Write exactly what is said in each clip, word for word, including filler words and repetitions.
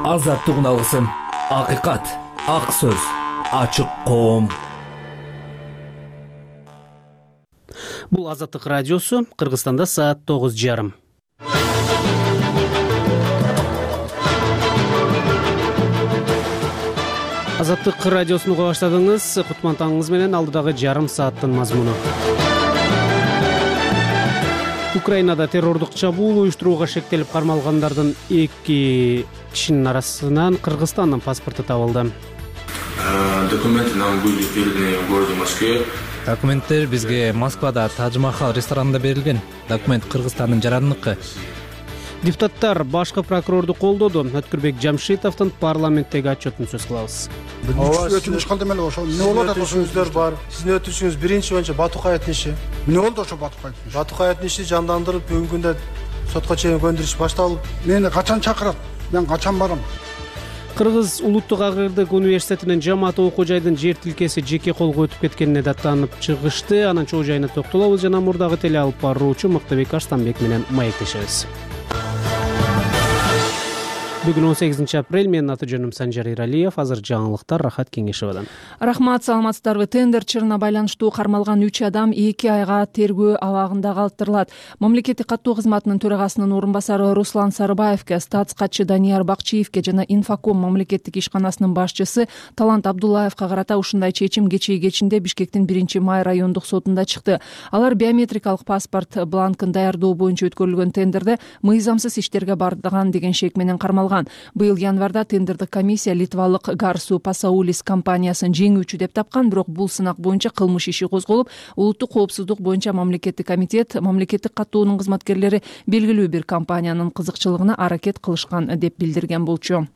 Азаттык алгысым, акыйкат, ак сөз, ачык коом. Бул Азаттык радиосу. Кыргызстанда саат тогуз жарым. Азаттык радиосуну уга баштадыңыз. Кутман таңыңыз менен алдыдагы жарым сааттын мазмуну. Украинада террордук чабуул уюштурууга шектелип кармалгандардын эки кишинин арасынан Кыргызстандын паспорту табылды. Документы нам были переданы в городе Москве. Документтер бизге Москвада Тадж-Махал ресторанында берилген. Документ Кыргызстандын жарандыкы. Депутаттар башкы прокурорду колдоду. Өткүрбек Жамшитовдун парламенттеги отчетун сөз кылабыз. Өтүнүш кандай эле ошол. Эмне болот өтүнүшүңүздөр бар. Сиздин өтүнүшүңүз биринчи боюнча Батукаевдин иши. Эмне болду ошо Батукаевдин иши? Батукаевдин иши жандандырылып, бүгүнкү күндө сотко чейин көндүрүш башталып, мени качан чакырат? Мен качан барам? Кыргыз Улуттук агрардык университетинин жамаат окуу жайдын жер тилкеси жеке колго өтүп кеткенине даттанып чыгышты. Анын чоо жайына токтолобуз жана мурдагы теле алып баруучу Мыктыбек Арстанбек менен маектешебиз. Бүгүн он сегизинчи апрель. Менин аты жөнүм Санжар Иралиев. Азыр жаңылыктар Рахат Кеңешевадан. Рахмат, саламатсыздарбы. Тендер чырына байланыштуу кармалган үч адам эки айга тергөө абагында калтырылат. Мамлекеттик каттоо кызматынын төрагасынын орун басары Руслан Сарыбаевке, статс катчы Данияр Бакчиевке жана Инфоком мамлекеттик ишканасынын башчысы Талант Абдуллаевка карата ушундай чечим кечээ кечинде Бишкектин биринчи май райондук сотунда чыкты. Алар биометрикалык паспорт бланкын даярдоо боюнча өткөрүлгөн тендерде мыйзамсыз иштерге бардыган деген шек менен кармалган. Быйыл январда тендердик комиссия литвалык Гарсу Пасаулис компаниясын жеңүүчү деп тапкан, бирок бул сынак боюнча кылмыш иши козголуп, улуттук коопсуздук боюнча мамлекеттик комитет мамлекеттик каттоонун кызматкерлери белгилүү бир компаниянын кызыкчылыгына аракет кылышкан деп билдирген болчу.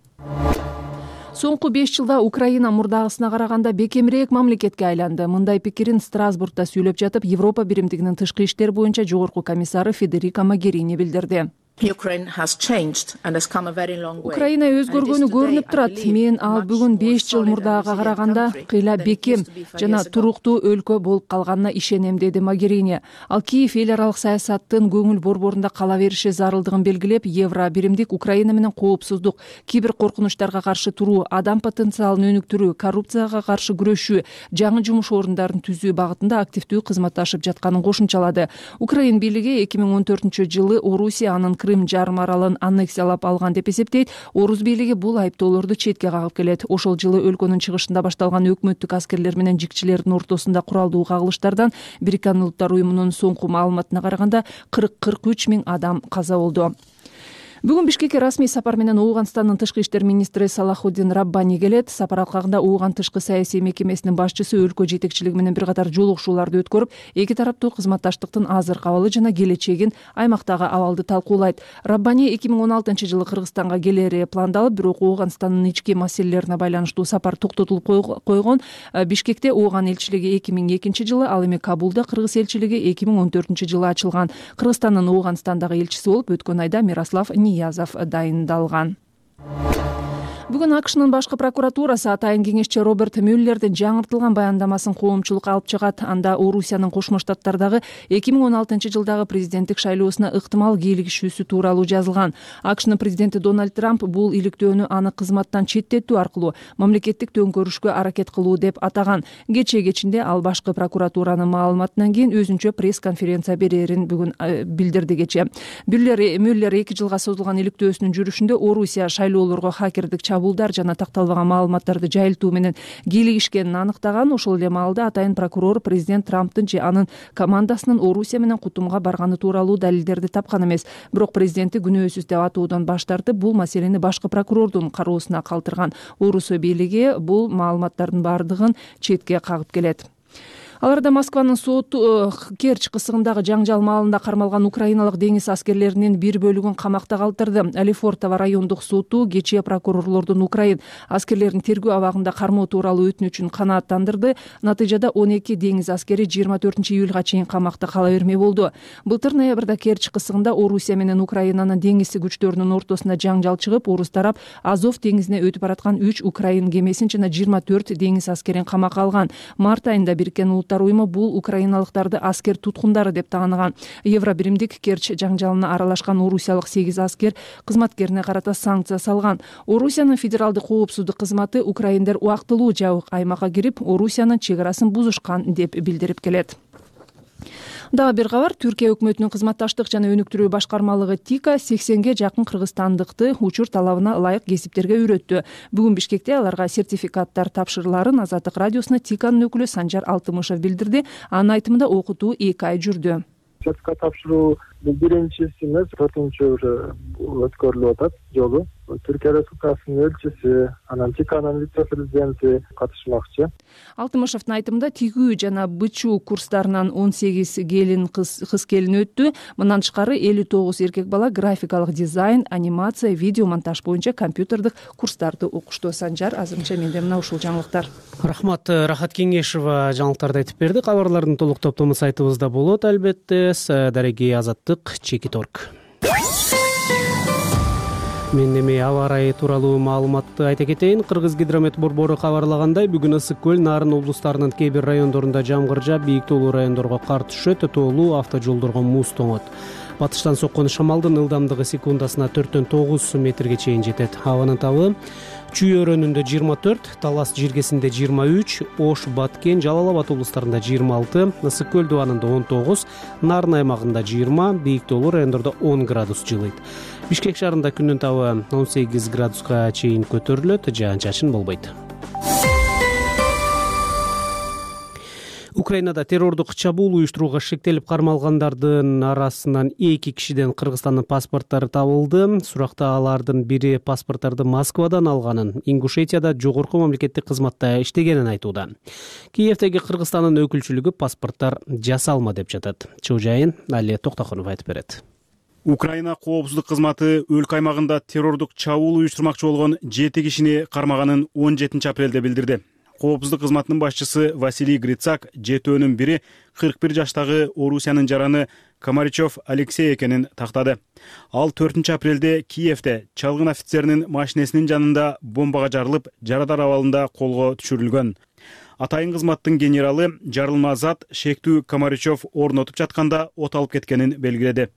Соңку беш жылда Украина мурдагысына караганда бекемирээк мамлекетке айланды. Мындай пикирин Страсбургда сүйлөп жатып, Европа биримдигинин тышкы иштер боюнча жогорку комиссары Федерика Могерини билдирди. Украина өзгөргөнү көрүнүп турат. Мен ал бүгүн беш жыл мурдага караганда кыйла бекем жана туруктуу өлкө болуп калганына ишенем, деди Могерини. Ал Киев эл аралык саясаттын көңүл борборунда кала бериши зарылдыгын белгилеп, евро биримдик Украина менен коопсуздук, кибер коркунучтарга каршы туруу, адам потенциалын өнүктүрүү, коррупцияга каршы күрөшүү, жаңы жумуш орундарын түзүү багытында активдүү кызматташып жатканын кошумчалады. Украин бийлиги эки миң он төртүнчү жылы Орусия анын Крым жарым аралын аннексиялап алган деп эсептейт. Орус бийлиги бул айыптоолорду четке кагып келет. Ошол жылы өлкөнүн чыгышында башталган өкмөттүк аскерлер менен жикчилердин ортосунда куралдуу кагылыштардан Бириккен Улуттар уюмунун соңку маалыматына караганда кырк кырк үч миң адам каза болду. Бүгүн Бишкекке расмий сапар менен Ооганстандын тышкы иштер министри Салахуддин Раббани келет. Сапар алкагында Ооган тышкы саясий мекемесинин башчысы өлкө жетекчилиги менен бир катар жолугушууларды өткөрүп, эки тараптуу кызматташтыктын азыркы абалы жана келечегин, аймактагы абалды талкуулайт. Раббани эки миң он алтынчы жылы Кыргызстанга келери пландалып, бирок Ооганстандын ички маселелерине байланыштуу сапар токтотулуп койгон. Бишкекте Ооган элчилиги эки миң экинчи жылы, ал эми Кабулда Кыргыз элчилиги эки миң он төртүнчү жылы ачылган. Кыргызстандын Ооганстандагы элчиси болуп өткөн айда Мирослав Ниязов дайындалган. Бүгүн АКШнын башкы прокуратурасы атайын кеңешчи Роберт Мюллердин жаңыртылган баяндамасын коомчулукка алып чыгат. Анда Орусиянын Кошмо Штаттардагы эки миң он алтынчы жылдагы президенттик шайлоосуна ыктымал кийлигишүүсү тууралуу жазылган. АКШнын президенти Дональд Трамп бул иликтөөнү аны кызматтан четтетүү аркылуу мамлекеттик төңкөрүшкө аракет кылуу деп атаган. Кечээ кечинде ал башкы прокуратуранын маалыматынан кийин өзүнчө пресс-конференция берерин бүгүн билдирди. Кечээ Мюллер эки жылга созулган иликтөөсүнүн жүрүшүндө Орусия шайлоолорго хакердик булдар жана такталбаган маалыматтарды жайылтуу менен кийлигишкенин аныктаган. Ошол эле маалда атайын прокурор президент Трамптын же анын командасынын Орусия менен кутумга барганы тууралуу далилдерди тапкан эмес. Бирок президенти күнөөсүз деп атоодон баш тартып, бул маселени башкы прокурордун кароосуна калтырган. Орусия бийлиги бул маалыматтардын бардыгын четке кагып келет. Аларда Москванын соту Керчь кысыгындагы жаңжал маалында кармалган украиналык деңиз аскерлеринин бир бөлүгүн камакта калтырды. Алифортово райондук соту кечээ прокурорлордун Украин аскерлерин тергөө абагында кармоо тууралуу өтүнүчүн канааттандырды. Натыйжада он эки деңиз аскери жыйырма төртүнчү июлга чейин камакта кала бермей болду. Былтыр ноябрда Керчь кысыгында Орусия менен Украинанын деңиз күчтөрүнүн ортосунда жаңжал чыгып, орус тарап Азов деңизине өтүп бараткан үч украин кемесин жана жыйырма төрт деңиз аскерин камакка алган. Март айында Бириккен улуттар уюму бул украиналыктарды аскер туткундары деп тааныган. Евро биримдик Керчь жаңжалына аралашкан орусиялык сегиз аскер кызматкерине карата санкция салган. Орусиянын федералдык коопсуздук кызматы украиндер убактылуу жабык аймакка кирип, Орусиянын чек арасын бузушкан деп билдирип келет. Дагы бир кабар. Түркия өкмөтүнүн кызматташтык жана өнүктүрүү башкармалыгы ТИКа сексенге жакын кыргызстандыкты учур талабына ылайык кесиптерге үйрөттү. Бүгүн Бишкекте аларга сертификаттар тапшырыларын Азаттык радиосуна ТИКанын өкүлү Санжар Алтымышев билдирди. Анын айтымында окутуу эки ай жүрдү. Сертификат тапшыруу бул биринчиси эмес, төртүнчү уже өткөрүлүп атат жолу. Түркия Республикасынын элчиси, анан ТИКанын вице-президенти катышмакчы. Алтымышевдин айтымында тигүү жана бычуу курстарынан он сегиз келин кыз кыз келин өттү. Мындан тышкары элүү тогуз эркек бала графикалык дизайн, анимация, видео монтаж боюнча компьютердик курстарды окушту. Санжар, азырынча менде мына ушул жаңылыктар. Рахмат, Рахат Кеңешова жаңылыктарды айтып берди. Кабарлардын толук топтому сайтыбызда болот албетте. Дареги Азаттык, Чекиторг. Мен эми аба ырайы тууралуу маалыматты айта кетейин. Кыргыз гидромет борбору кабарлагандай, бүгүн Ысык көл, Нарын облустарынын кээ бир райондорунда жамгыр жаап, бийик тоолуу райондорго кар түшөт, тоолуу автожолдорго муз тоңот. Батыштан соккон шамалдын ылдамдыгы секундасына төрттөн тогуз метрге чейин жетет. Абанын табы Чүй өрөөнүндө жыйырма төрт, Талас жиргесинде жыйырма үч, Ош, Баткен, Жалал Абад облустарында жыйырма алты, Ысык көл дубанында он тогуз, Нарын аймагында жыйырма, бийик тоолуу райондордо он градус жылыйт. Бишкек шаарында күндүн табы он сегиз градуска чейин көтөрүлөт, жаан-чачын болбойт. Украинада террордук чабуул уюштурууга шектелип кармалгандардын арасынан эки кишиден Кыргызстандын паспорттары табылды. Суракта алардын бири паспорттарды Москвадан алганын, Ингушетияда жогорку мамлекеттик кызматта иштегенин айтууда. Киевдеги Кыргызстандын өкүлчүлүгү паспорттар жасалма деп жатат. Чоо жайын Али Токтохонов айтып берет. Украина коопсуздук кызматы өлкө аймагында террордук чабуул уюштурмакчы болгон жети кишини кармаганын он жетинчи апрелде билдирди. Коопсуздук кызматынын башчысы Василий Грицак жетөөнүн бири кырк бир жаштагы Орусиянын жараны Комаричев Алексей экенин тактады. Ал төртүнчү апрелде Киевде чалгын офицеринин машинесинин жанында бомбага жарылып, жарадар абалында колго түшүрүлгөн. Атайын кызматтын генералы жарылма зат шектүү Комаричев орнотуп жатканда от алып кеткенин белгиледи.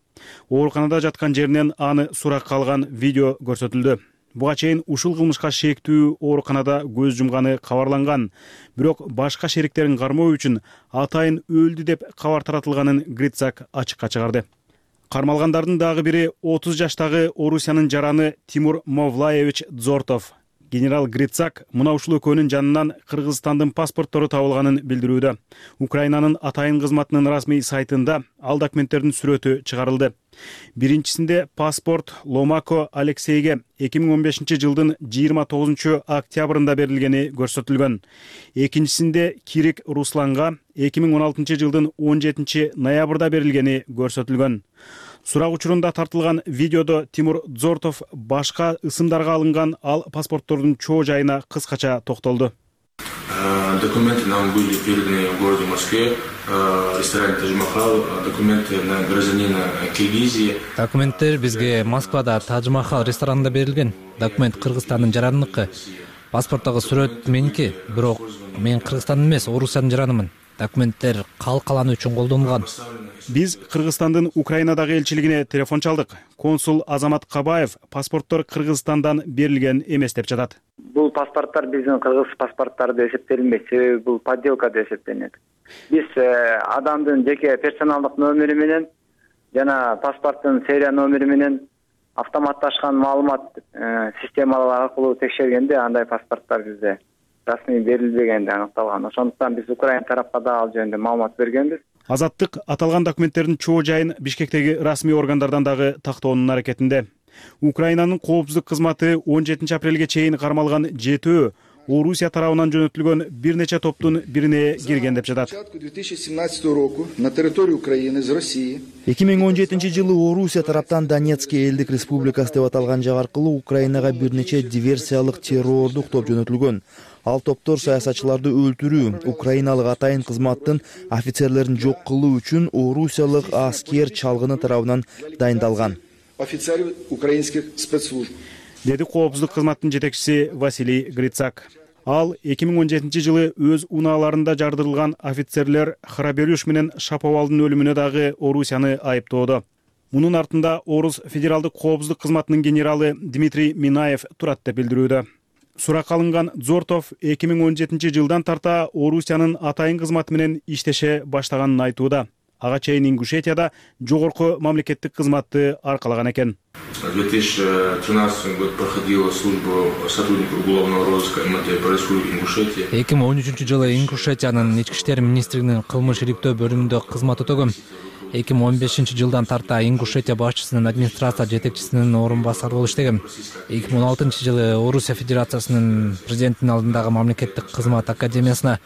Ооруканада жаткан жеринен аны суракка алган видео көрсөтүлдү. Буга чейин ушул кылмышка шектүү ооруканада көз жумганы кабарланган, бирок башка шериктерин кармоо үчүн атайын өлдү деп кабар таратылганын Грицак ачыкка чыгарды. Кармалгандардын дагы бири отуз жаштагы Орусиянын жараны Тимур Мовлаевич Дзортов. Генерал Грицак мына ушул экөөнүн жанынан Кыргызстандын паспорттору табылганын билдирүүдө. Украинанын атайын кызматынын расмий сайтында ал документтердин сүрөтү чыгарылды. Биринчисинде паспорт Ломако Алексейге эки миң он бешинчи жылдын жыйырма тогузунчу октябрында берилгени көрсөтүлгөн. Экинчисинде Кирик Русланга эки миң он алтынчы жылдын он жетинчи ноябрда берилгени көрсөтүлгөн. Сурак учурунда тартылган видеодо Тимур Дзортов башка ысымдарга алынган ал паспорттордун чоо жайына кыскача токтолду. Документы нам были переданы в городе Москве, ресторане Тадж-Махал, документы на гражданина Киргизии. Документтер бизге Москвада Тадж-Махал ресторанында берилген. Документ Кыргызстандын жараныныкы. Паспорттогу сүрөт меники, бирок мен Кыргызстандын эмес, Орусиянын жаранымын. Документтер калкаланы үчүн колдонулган. Биз Кыргызстандын Украинадагы элчилигине телефон чалдык. Консул Азамат Кабаев паспорттор Кыргызстандан берилген эмес деп жатат. Бул паспорттор биздин кыргыз паспорттары деп эсептелинбейт, себеби бул подделка деп эсептелинет. Биз адамдын жеке персоналдык номери менен жана паспорттун серия номери менен автоматташкан маалымат системалар аркылуу текшергенде андай паспорттор бизде расмий берилбегенди аныкталган. Ошондуктан биз Украина тарапка да ал жөнүндө маалымат бергенбиз. Азаттык аталган документтердин чоо жайын Бишкектеги расмий органдардан дагы тактоонун аракетинде. Украинанын коопсуздук кызматы он жетинчи апрелге чейин кармалган жетөө Орусия тарабынан жөнөтүлгөн бир нече топтун бирине кирген деп жатат. эки миң он жетинчи жылы Орусия тараптан Донецкий элдик республикасы деп аталган жак аркылуу Украинага бир нече диверсиялык террордук топ жөнөтүлгөн. Ал топтор саясатчыларды өлтүрүү, украиналык атайын кызматтын офицерлерин жок кылуу үчүн орусиялык аскер чалгыны тарабынан дайындалган. Офицеры украинских спецслужб. Деди коопсуздук кызматтын жетекчиси Василий Грицак. Ал эки миң он жетинчи жылы өз унааларында жардырылган офицерлер Храберюш менен Шаповалдын өлүмүнө дагы Орусияны айыптоодо. Мунун артында Орус федералдык коопсуздук кызматынын генералы Дмитрий Минаев турат деп билдирүүдө. Суракка алынган Зортов эки миң он жетинчи жылдан тарта Орусиянын атайын кызматы менен иштеше баштаганын айтууда. Ага чейин Ингушетияда жогорку мамлекеттик кызматты аркалаган экен. В две тысячи тринадцатом году проходила службу сотрудника уголовного розыска эм тэ по Республике Ингушетия. эки миң он үчүнчү жылы Ингушетиянын ички иштер министрлигинин кылмыш иликтөө бөлүмүндө кызмат өтөгөм. эки миң он бешинчи жылдан тарта Ингушетия башчысынын администрация жетекчисинин орун басары болуп иштегем. эки миң он алтынчы жылы Орусия Федерациясынын президентинин алдындагы мамлекеттик кызмат академиясына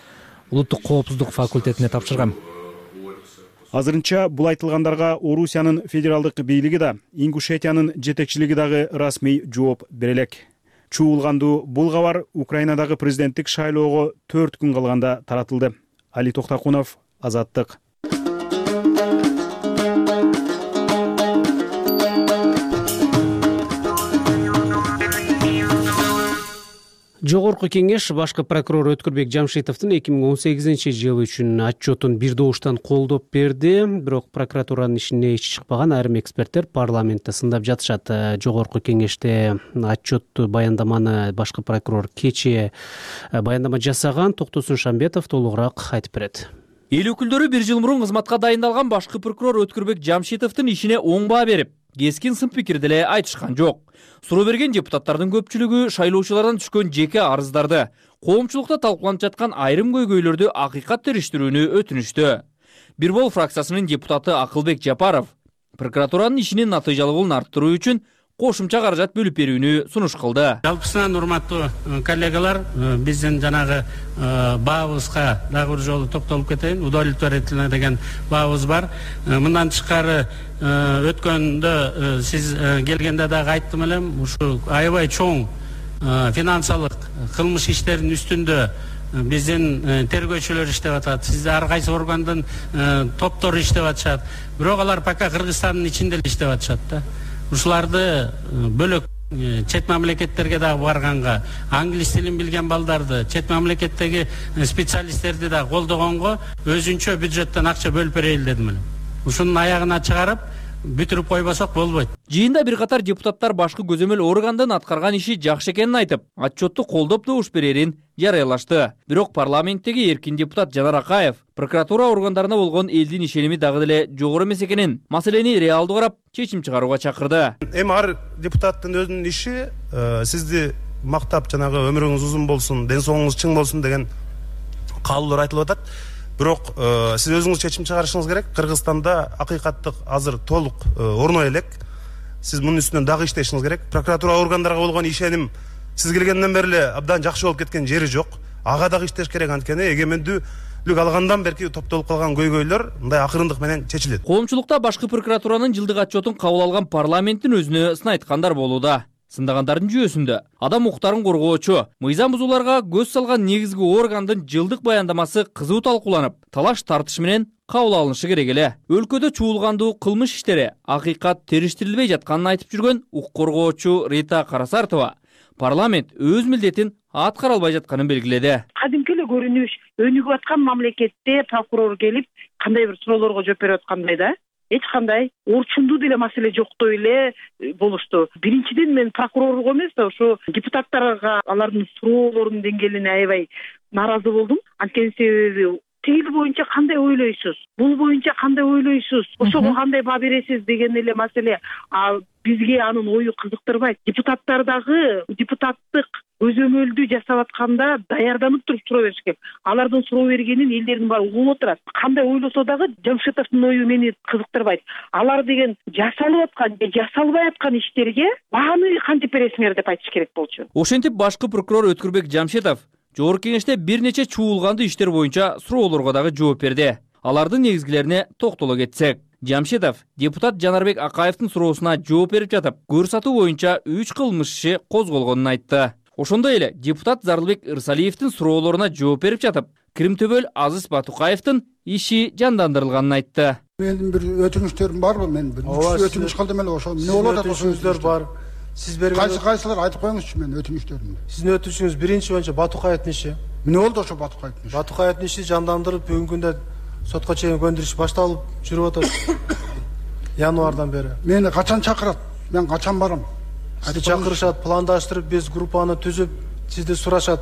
улуттук коопсуздук факультетине тапшыргам. Азырынча бул айтылгандарга Орусиянын федералдык бийлиги да, Ингушетиянын жетекчилиги дагы расмий жооп бере элек. Чуулгандуу бул кабар Украинадагы президенттик шайлоого төрт күн калганда таратылды. Али Токтакунов, Азаттык. Жогорку кеңеш башкы прокурор Өткүрбек Жамшитовдун эки миң он сегизинчи жыл үчүн отчетун бир добуштан колдоп берди. Бирок прокуратуранын ишине ичи чыкпаган айрым эксперттер парламентте сындап жатышат. Жогорку кеңеште отчетту баяндаманы башкы прокурор кечээ баяндама жасаган. Токтосун Шамбетов толугураак айтып берет. Эл өкүлдөрү бир жыл мурун кызматка дайындалган башкы прокурор Өткүрбек Жамшитовдун ишине оң баа берип, кескин сын пикир деле айтышкан жок. Суроо берген депутаттардын көпчүлүгү шайлоочулардан түшкөн жеке арыздарды, коомчулукта талкууланып жаткан айрым көйгөйлөрдү акыйкат териштирүүнү өтүнүштү. Бир бол фракциясынын депутаты Акылбек Жапаров прокуратуранын ишинин натыйжалуулун арттыруу үчүн кошумча каражат бөлүп берүүнү сунуш кылды. Жалпысынан урматтуу коллегалар, биздин жанагы баабызга дагы бир жолу токтолуп кетейин. Удовлетворительно деген баабыз бар. Мындан тышкары өткөндө сиз келгенде дагы айттым элем, ушу аябай чоң финансылык кылмыш иштеринин үстүндө биздин тергөөчүлөр иштеп атат. Сиз ар кайсы органдын топтору иштеп атышат. Бирок алар пока Кыргызстандын ичинде эле иштеп атышат да. Ушуларды бөлөк чет мамлекеттерге дагы барганга, англис тилин билген балдарды, чет мамлекеттеги специалисттерди да колдогонго өзүнчө бюджеттен акча бөлүп берели дедим эле. Ушунун аягына чыгарып бүтүрүп койбосок болбойт. Жыйында бир катар депутаттар башкы көзөмөл органдын аткарган иши жакшы экенин айтып, отчетту колдоп добуш берерин жарыялашты. Бирок парламенттеги эркин депутат Жанар Акаев прокуратура органдарына болгон элдин ишеними дагы деле жогору эмес экенин, маселени реалдуу карап, чечим чыгарууга чакырды. Эми ар депутаттын өзүнүн иши сизди мактап жанагы өмүрүңүз узун болсун, ден соолугуңуз чың болсун деген каалоолор айтылып атат. Бирок сиз өзүңүз чечим чыгарышыңыз керек. Кыргызстанда акыйкаттык азыр толук орной элек. Сиз мунун үстүнөн дагы иштешиңиз керек. Прокуратура органдарга болгон ишеним сиз келгенден бери эле абдан жакшы болуп кеткен жери жок. Ага дагы иштеш керек, анткени эгемендүүлүк алгандан берки топтолуп калган көйгөйлөр мындай акырындык менен чечилет. Коомчулукта башкы прокуратуранын жылдык отчетун кабыл алган парламенттин өзүнө сын айткандар болууда. Сындагандардын жүйөсүндө адам укуктарын коргоочу, мыйзам бузууларга көз салган негизги органдын жылдык баяндамасы кызуу талкууланып, талаш тартыш менен кабыл алынышы керек эле. Өлкөдө чуулгандуу кылмыш иштери акыйкат териштирилбей жатканын айтып жүргөн укук коргоочу Рита Карасартова парламент өз милдетин аткара албай жатканын белгиледи. Кадимки эле көрүнүш, өнүгүп аткан мамлекетте прокурор келип кандайбыр суроолорго жооп берип аткандай да. Эч кандай орчундуу деле маселе жоктой эле болушту. Биринчиден мен прокурорго эмес, ошо депутаттарга алардын суроолорунун деңгээлине аябай нааразы болдум. Анткени себеби тил боюнча кандай ойлойсуз, бул боюнча кандай ойлойсуз, ошого кандай баа бересиз деген эле маселе. А бизге анын ою кызыктырбайт. Депутаттар дагы депутаттык көзөмөлдү жасап атканда даярданып туруп суроо бериш керек. Алардын суроо бергенин элдердин баары угуп отурат. Кандай ойлосо дагы Жамшитовдун ою мени кызыктырбайт. Алар деген жасалып аткан же жасалбай аткан иштерге бааны кантип бересиңер деп айтыш керек болчу. Ошентип башкы прокурор Өткүрбек Жамшитов жогорку кеңеште бир нече чуулгандуу иштер боюнча суроолорго дагы жооп берди. Алардын негизгилерине токтоло кетсек, Жамшитов депутат Жанарбек Акаевдин суроосуна жооп берип жатып, көрсөтүү боюнча үч кылмыш иши козголгонун айтты. Ошондой эле депутат Зарлыбек Ырсалиевдин суроолоруна жооп берип жатып, Кримтөбөл Азиз Батукаевдин иши жандандырылганын айтты. Менин бир өтүнүчтөрүм барбы? Мен бир өтүнүч калдым эле ошо. Эмне болуп атат ошо? Өтүнүчтөр бар. Сиз берген кайсы кайсылар айтып коюңузчу менин өтүнүчтөрүмдү. Сиздин өтүнүчүңүз биринчи боюнча Батукаевдин иши. Эмне болду ошо Батукаевдин иши? Батукаевдин иши жандандырып бүгүнкү күндө сотко чейин көндүрүш башталып жүрүп атат. Январдан бери. Мени качан чакырат? Мен качан барам? Сизди чакырышат, пландаштырып, биз группаны түзүп, сизди сурашат.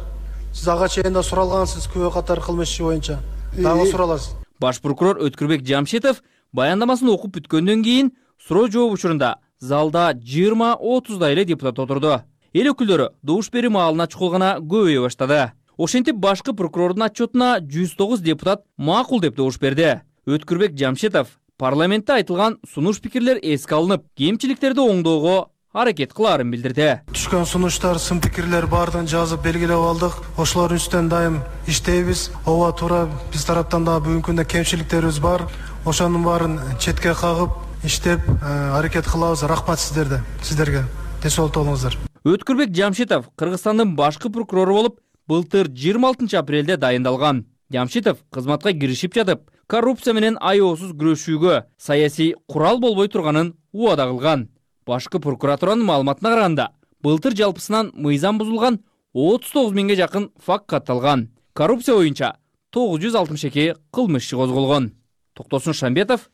Сиз ага чейин да суралгансыз күбө катары кылмыш иши боюнча. Дагы сураласыз. Баш прокурор Өткүрбек Жамшитов баяндамасын окуп бүткөндөн кийин суроо жооп учурунда залда жыйырма отуздай эле депутат отурду. Эл өкүлдөрү добуш берүү маалына чукул гана көбөйө баштады. Ошентип башкы прокурордун отчетуна жүз тогуз депутат макул деп добуш берди. Өткүрбек Жамшитов парламентте айтылган сунуш пикирлер эске алынып, кемчиликтерди оңдоого аракет кылаарын билдирди. Түшкөн сунуштар, сын пикирлер баардыгын жазып белгилеп алдык. Ошолордун үстүнөн дайым иштейбиз. Ооба туура биз тараптан да бүгүнкү күндө кемчиликтерибиз бар. Ошонун баарын четке кагып, иштеп аракет кылабыз. Рахмат сиздерге. Сиздерге ден соолукта болуңуздар. Өткүрбек Жамшитов Кыргызстандын башкы прокурору болуп, былтыр жыйырма алтынчы апрелде дайындалган. Жамшитов кызматка киришип жатып, коррупция менен аеосуз күрөшүүгө саясий курал болбой турганын убада кылган. Башкы прокуратуранын маалыматына караганда, былтыр жалпысынан мыйзам бузулган отуз тогуз миңге жакын факт катталган. Коррупция боюнча тогуз жүз алтымыш эки кылмыш иши козголгон. Токтосун Шамбетов,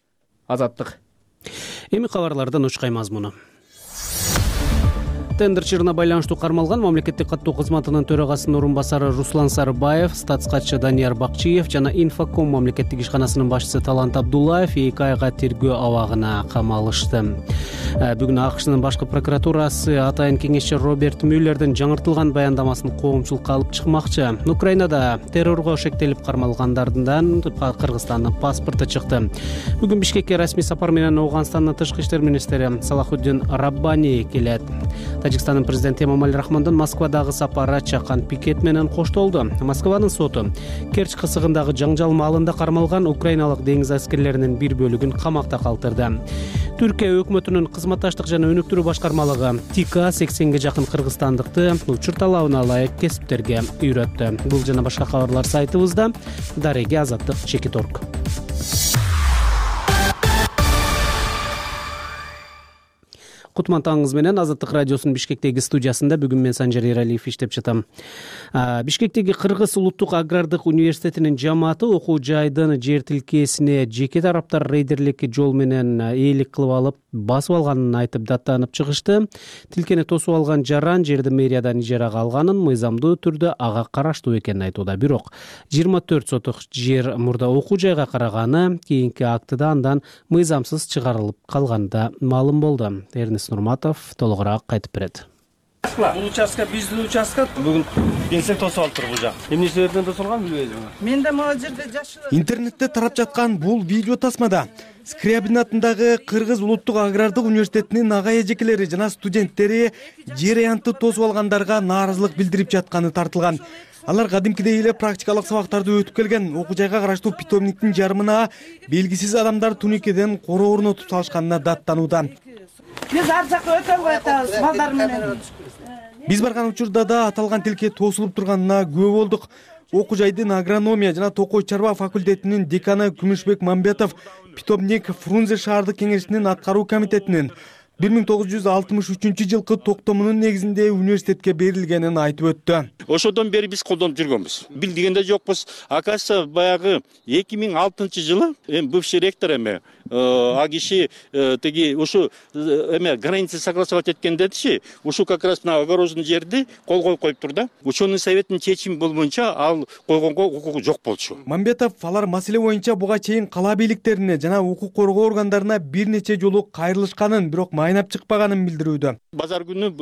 Азаттык. Эми кабарлардан учкай мазмуну. Тендер чыгына байланыштуу кармалган мамлекеттик каттоо кызматынын төрагасынын орун басары Руслан Сарыбаев, статскатчы Данияр Бакчиев жана Инфоком мамлекеттик ишканасынын башчысы Талант Абдуллаев эки айга тергөө абагына камалышты. Бүгүн АКШнын башкы прокуратурасы атайын кеңешчи Роберт Мюллердин жаңыртылган баяндамасын коомчулукка алып чыкмакчы. Украинада террорго шектелип кармалгандардан Кыргызстандын паспорту чыкты. Бүгүн Бишкекке расмий сапар менен Ооганстандын тышкы иштер министри Салахуддин Раббани келет. Тажикстандын президенти Эмомали Рахмондун Москвадагы сапары чакан пикет менен коштолду. Москванын соту Керчь кысыгындагы жаңжал маалында кармалган украиналык деңиз аскерлеринин бир бөлүгүн камакта калтырды. Түркия өкмөтүнүн кызматташтык жана өнүктүрүү башкармалыгы ТИКа сексенге жакын кыргызстандыкты учур талабына ылайык кесиптерге үйрөттү. Бул жана башка кабарлар сайтыбызда. Дареги Азаттык Чекит орг. Кутман таңыңыз менен Азаттык радиосунун Бишкектеги студиясында бүгүн мен Санжар Эралиев иштеп жатам. Бишкектеги Кыргыз улуттук агрардык университетинин жамааты окуу жайдын жер тилкесине жеке тараптар рейдерлик жол менен ээлик кылып алып, басып алганын айтып даттанып чыгышты. Тилкени тосуп алган жаран жерди мэриядан ижарага алганын, мыйзамдуу түрдө ага караштуу экенин айтууда. Бирок жыйырма төрт сотук жер мурда окуу жайга караганы кийинки актыда андан мыйзамсыз чыгарылып калганда маалым болду. Нурматов толугураак айтып берет. Бул участка биздин участка. Бүгүн келсек тосуп алыптыр бул жак. Эмне себептен тосулган билбейм. Мен да могу жерде жашылып. Интернетте тарап жаткан бул видео тасмада Скрябин атындагы Кыргыз улуттук агрардык университетинин ага эжекелери жана студенттери жер аянтты тосуп алгандарга нааразылык билдирип жатканы тартылган. Алар кадимкидей эле практикалык сабактарды өтүп келген, окуу жайга караштуу питомниктин жарымына белгисиз адамдар туникеден короо орнотуп салышканына даттанууда. Биз ар жакка өтө албай атабыз балдар менен. Биз барган учурда да аталган тилке тосулуп турганына күбө болдук. Окуу жайдын агрономия жана токой чарба факультетинин деканы Күмүшбек Мамбетов питомник Фрунзе шаардык кеңешинин аткаруу комитетинин бир миң тогуз жүз алтымыш үчүнчү жылкы токтомунун негизинде университетке берилгенин айтып өттү. Ошодон бери биз колдонуп жүргөнбүз. Билдигенде жокпуз. Акасы баягы эки миң алтынчы жылы эми бывший ректор эме а киши теги ушу эме границы согласовать эткен дедичи. Ушу как раз мына огороженный жерди кол коюп коюптур да. Ученый советтин чечими болбойнча ал койгонго укугу жок болчу. Мамбетов алар маселе боюнча буга чейин кала бийликтерине жана укук коргоо органдарына бир нече жолу кайрылышканын, бирок майнап чыкпаганын билдирүүдө. Базар күнү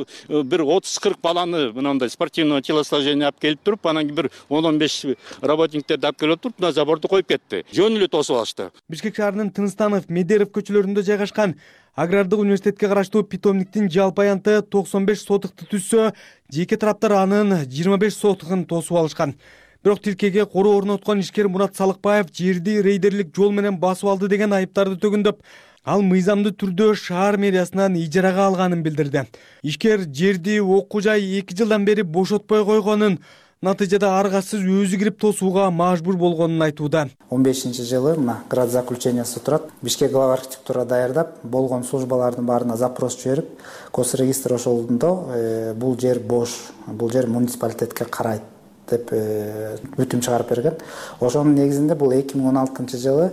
бир отуз кырк баланы мындай спортивного телосложения алып келип туруп, анан кийин бир он он беш работниктерди алып келип туруп, мына заборду коюп кетти. Жөн эле тосуп алышты. Бишкек шаарынын Тыныстанов, Медеров көчөлөрүндө жайгашкан агрардык университетке караштуу питомниктин жалпы аянты токсон беш сотукты түзсө, жеке тараптар анын жыйырма беш сотугун тосуп алышкан. Бирок тилкеге короо орноткон ишкер Мурат Салыкбаев жерди рейдерлик жол менен басып алды деген айыптарды төгүндөп, ал мыйзамдуу түрдө шаар мэриясынан ижарага алганын билдирди. Ишкер жерди окуу жай эки жылдан бери бошотпой койгонун, натыйжада аргасыз өзү кирип тосууга мажбур болгонун айтууда. он бешинчи жылы мына град заключениясы турат. Бишкек глава архитектура даярдап, болгон службалардын баарына запрос жиберип, госрегистр ошолдо бул жер бош, бул жер муниципалитетке карайт деп бүтүм чыгарып берген. Ошонун негизинде бул эки миң он алтынчы жылы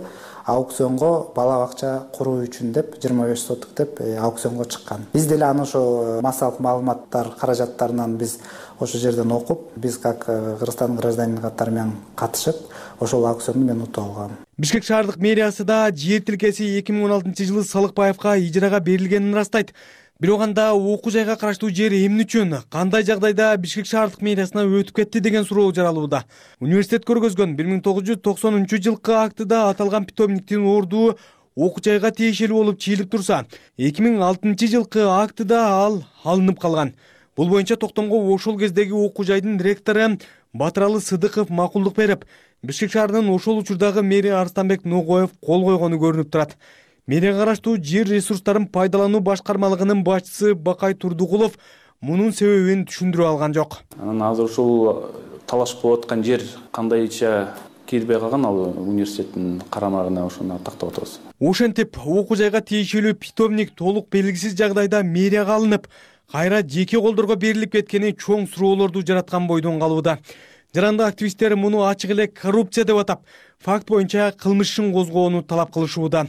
аукционго бала бакча куруу үчүн деп жыйырма беш сотук деп аукционго чыккан. Биз деле аны ошо массалык маалыматтар каражаттарынан биз ошол жерден окуп, биз как Кыргызстандын гражданини катары менен катышып, ошол аукционду мен утуп алгам. Бишкек шаардык мэриясы да жер тилкеси эки миң он алтынчы жылы Салыкбаевга ижарага берилгенин ырастайт. Бирок анда окуу жайга караштуу жер эмне үчүн, кандай жагдайда Бишкек шаардык мэриясына өтүп кетти деген суроо жаралууда. Университет көргөзгөн бир миң тогуз жүз токсонунчу жылкы актыда аталган питомниктин орду окуу жайга тиешелүү болуп чыйылып турса, эки миң алтынчы жылкы актыда ал алынып калган. Бул боюнча токтомго ошол кездеги окуу жайдын ректору Батыралы Сыдыков макулдук берип, Бишкек шаарынын ошол учурдагы мэри Арстанбек Ногоев кол койгону көрүнүп турат. Мэрияга караштуу жер ресурстарын пайдалануу башкармалыгынын башчысы Бакай Турдугулов мунун себебин түшүндүрө алган жок. Анан азыр ушул талаш болуп аткан жер кандайча кирбей калган, ал университеттин карамагына ошону тактап атабыз. Ошентип, окуу жайга тиешелүү питомник толук белгисиз жагдайда мэрияга алынып, кайра жеке колдорго берилип кеткени чоң суроолорду жараткан бойдон калууда. Жарандык активисттер муну ачык эле коррупция деп атап, факт боюнча кылмыш ишин козгоону талап кылышууда.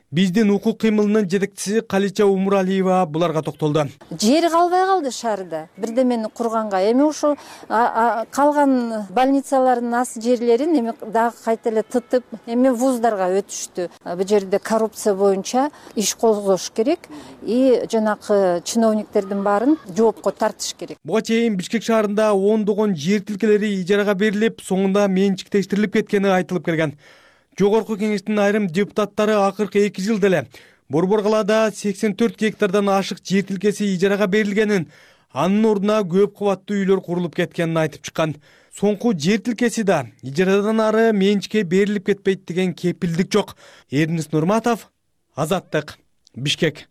Биздин укук кыймылынын жетекчиси Калича Умуралиева буларга токтолду. Жери калбай калды шаарда. Бирдемени курганга эми ушул калган больницалардын ас жерлерин эми дагы кайта эле тытып, эми вуздарга өтүштү. Бул жерде коррупция боюнча иш козгош керек и жанакы чиновниктердин баарын жоопко тартыш керек. Буга чейин Бишкек шаарында ондогон жер тилкелери ижарага берилип, соңунда менчиктештирилип кеткени айтылып келген. Жогорку кеңештин айрым депутаттары акыркы эки жылда эле Борбор калаада сексен төрт гектардан ашык жер тилкеси ижарага берилгенин, анын ордуна көп кабаттуу үйлөр курулуп кеткенин айтып чыккан. Соңку жер тилкеси да ижарадан ары менчикке берилип кетпейт деген кепилдик жок. Эрнис Нурматов, Азаттык, Бишкек.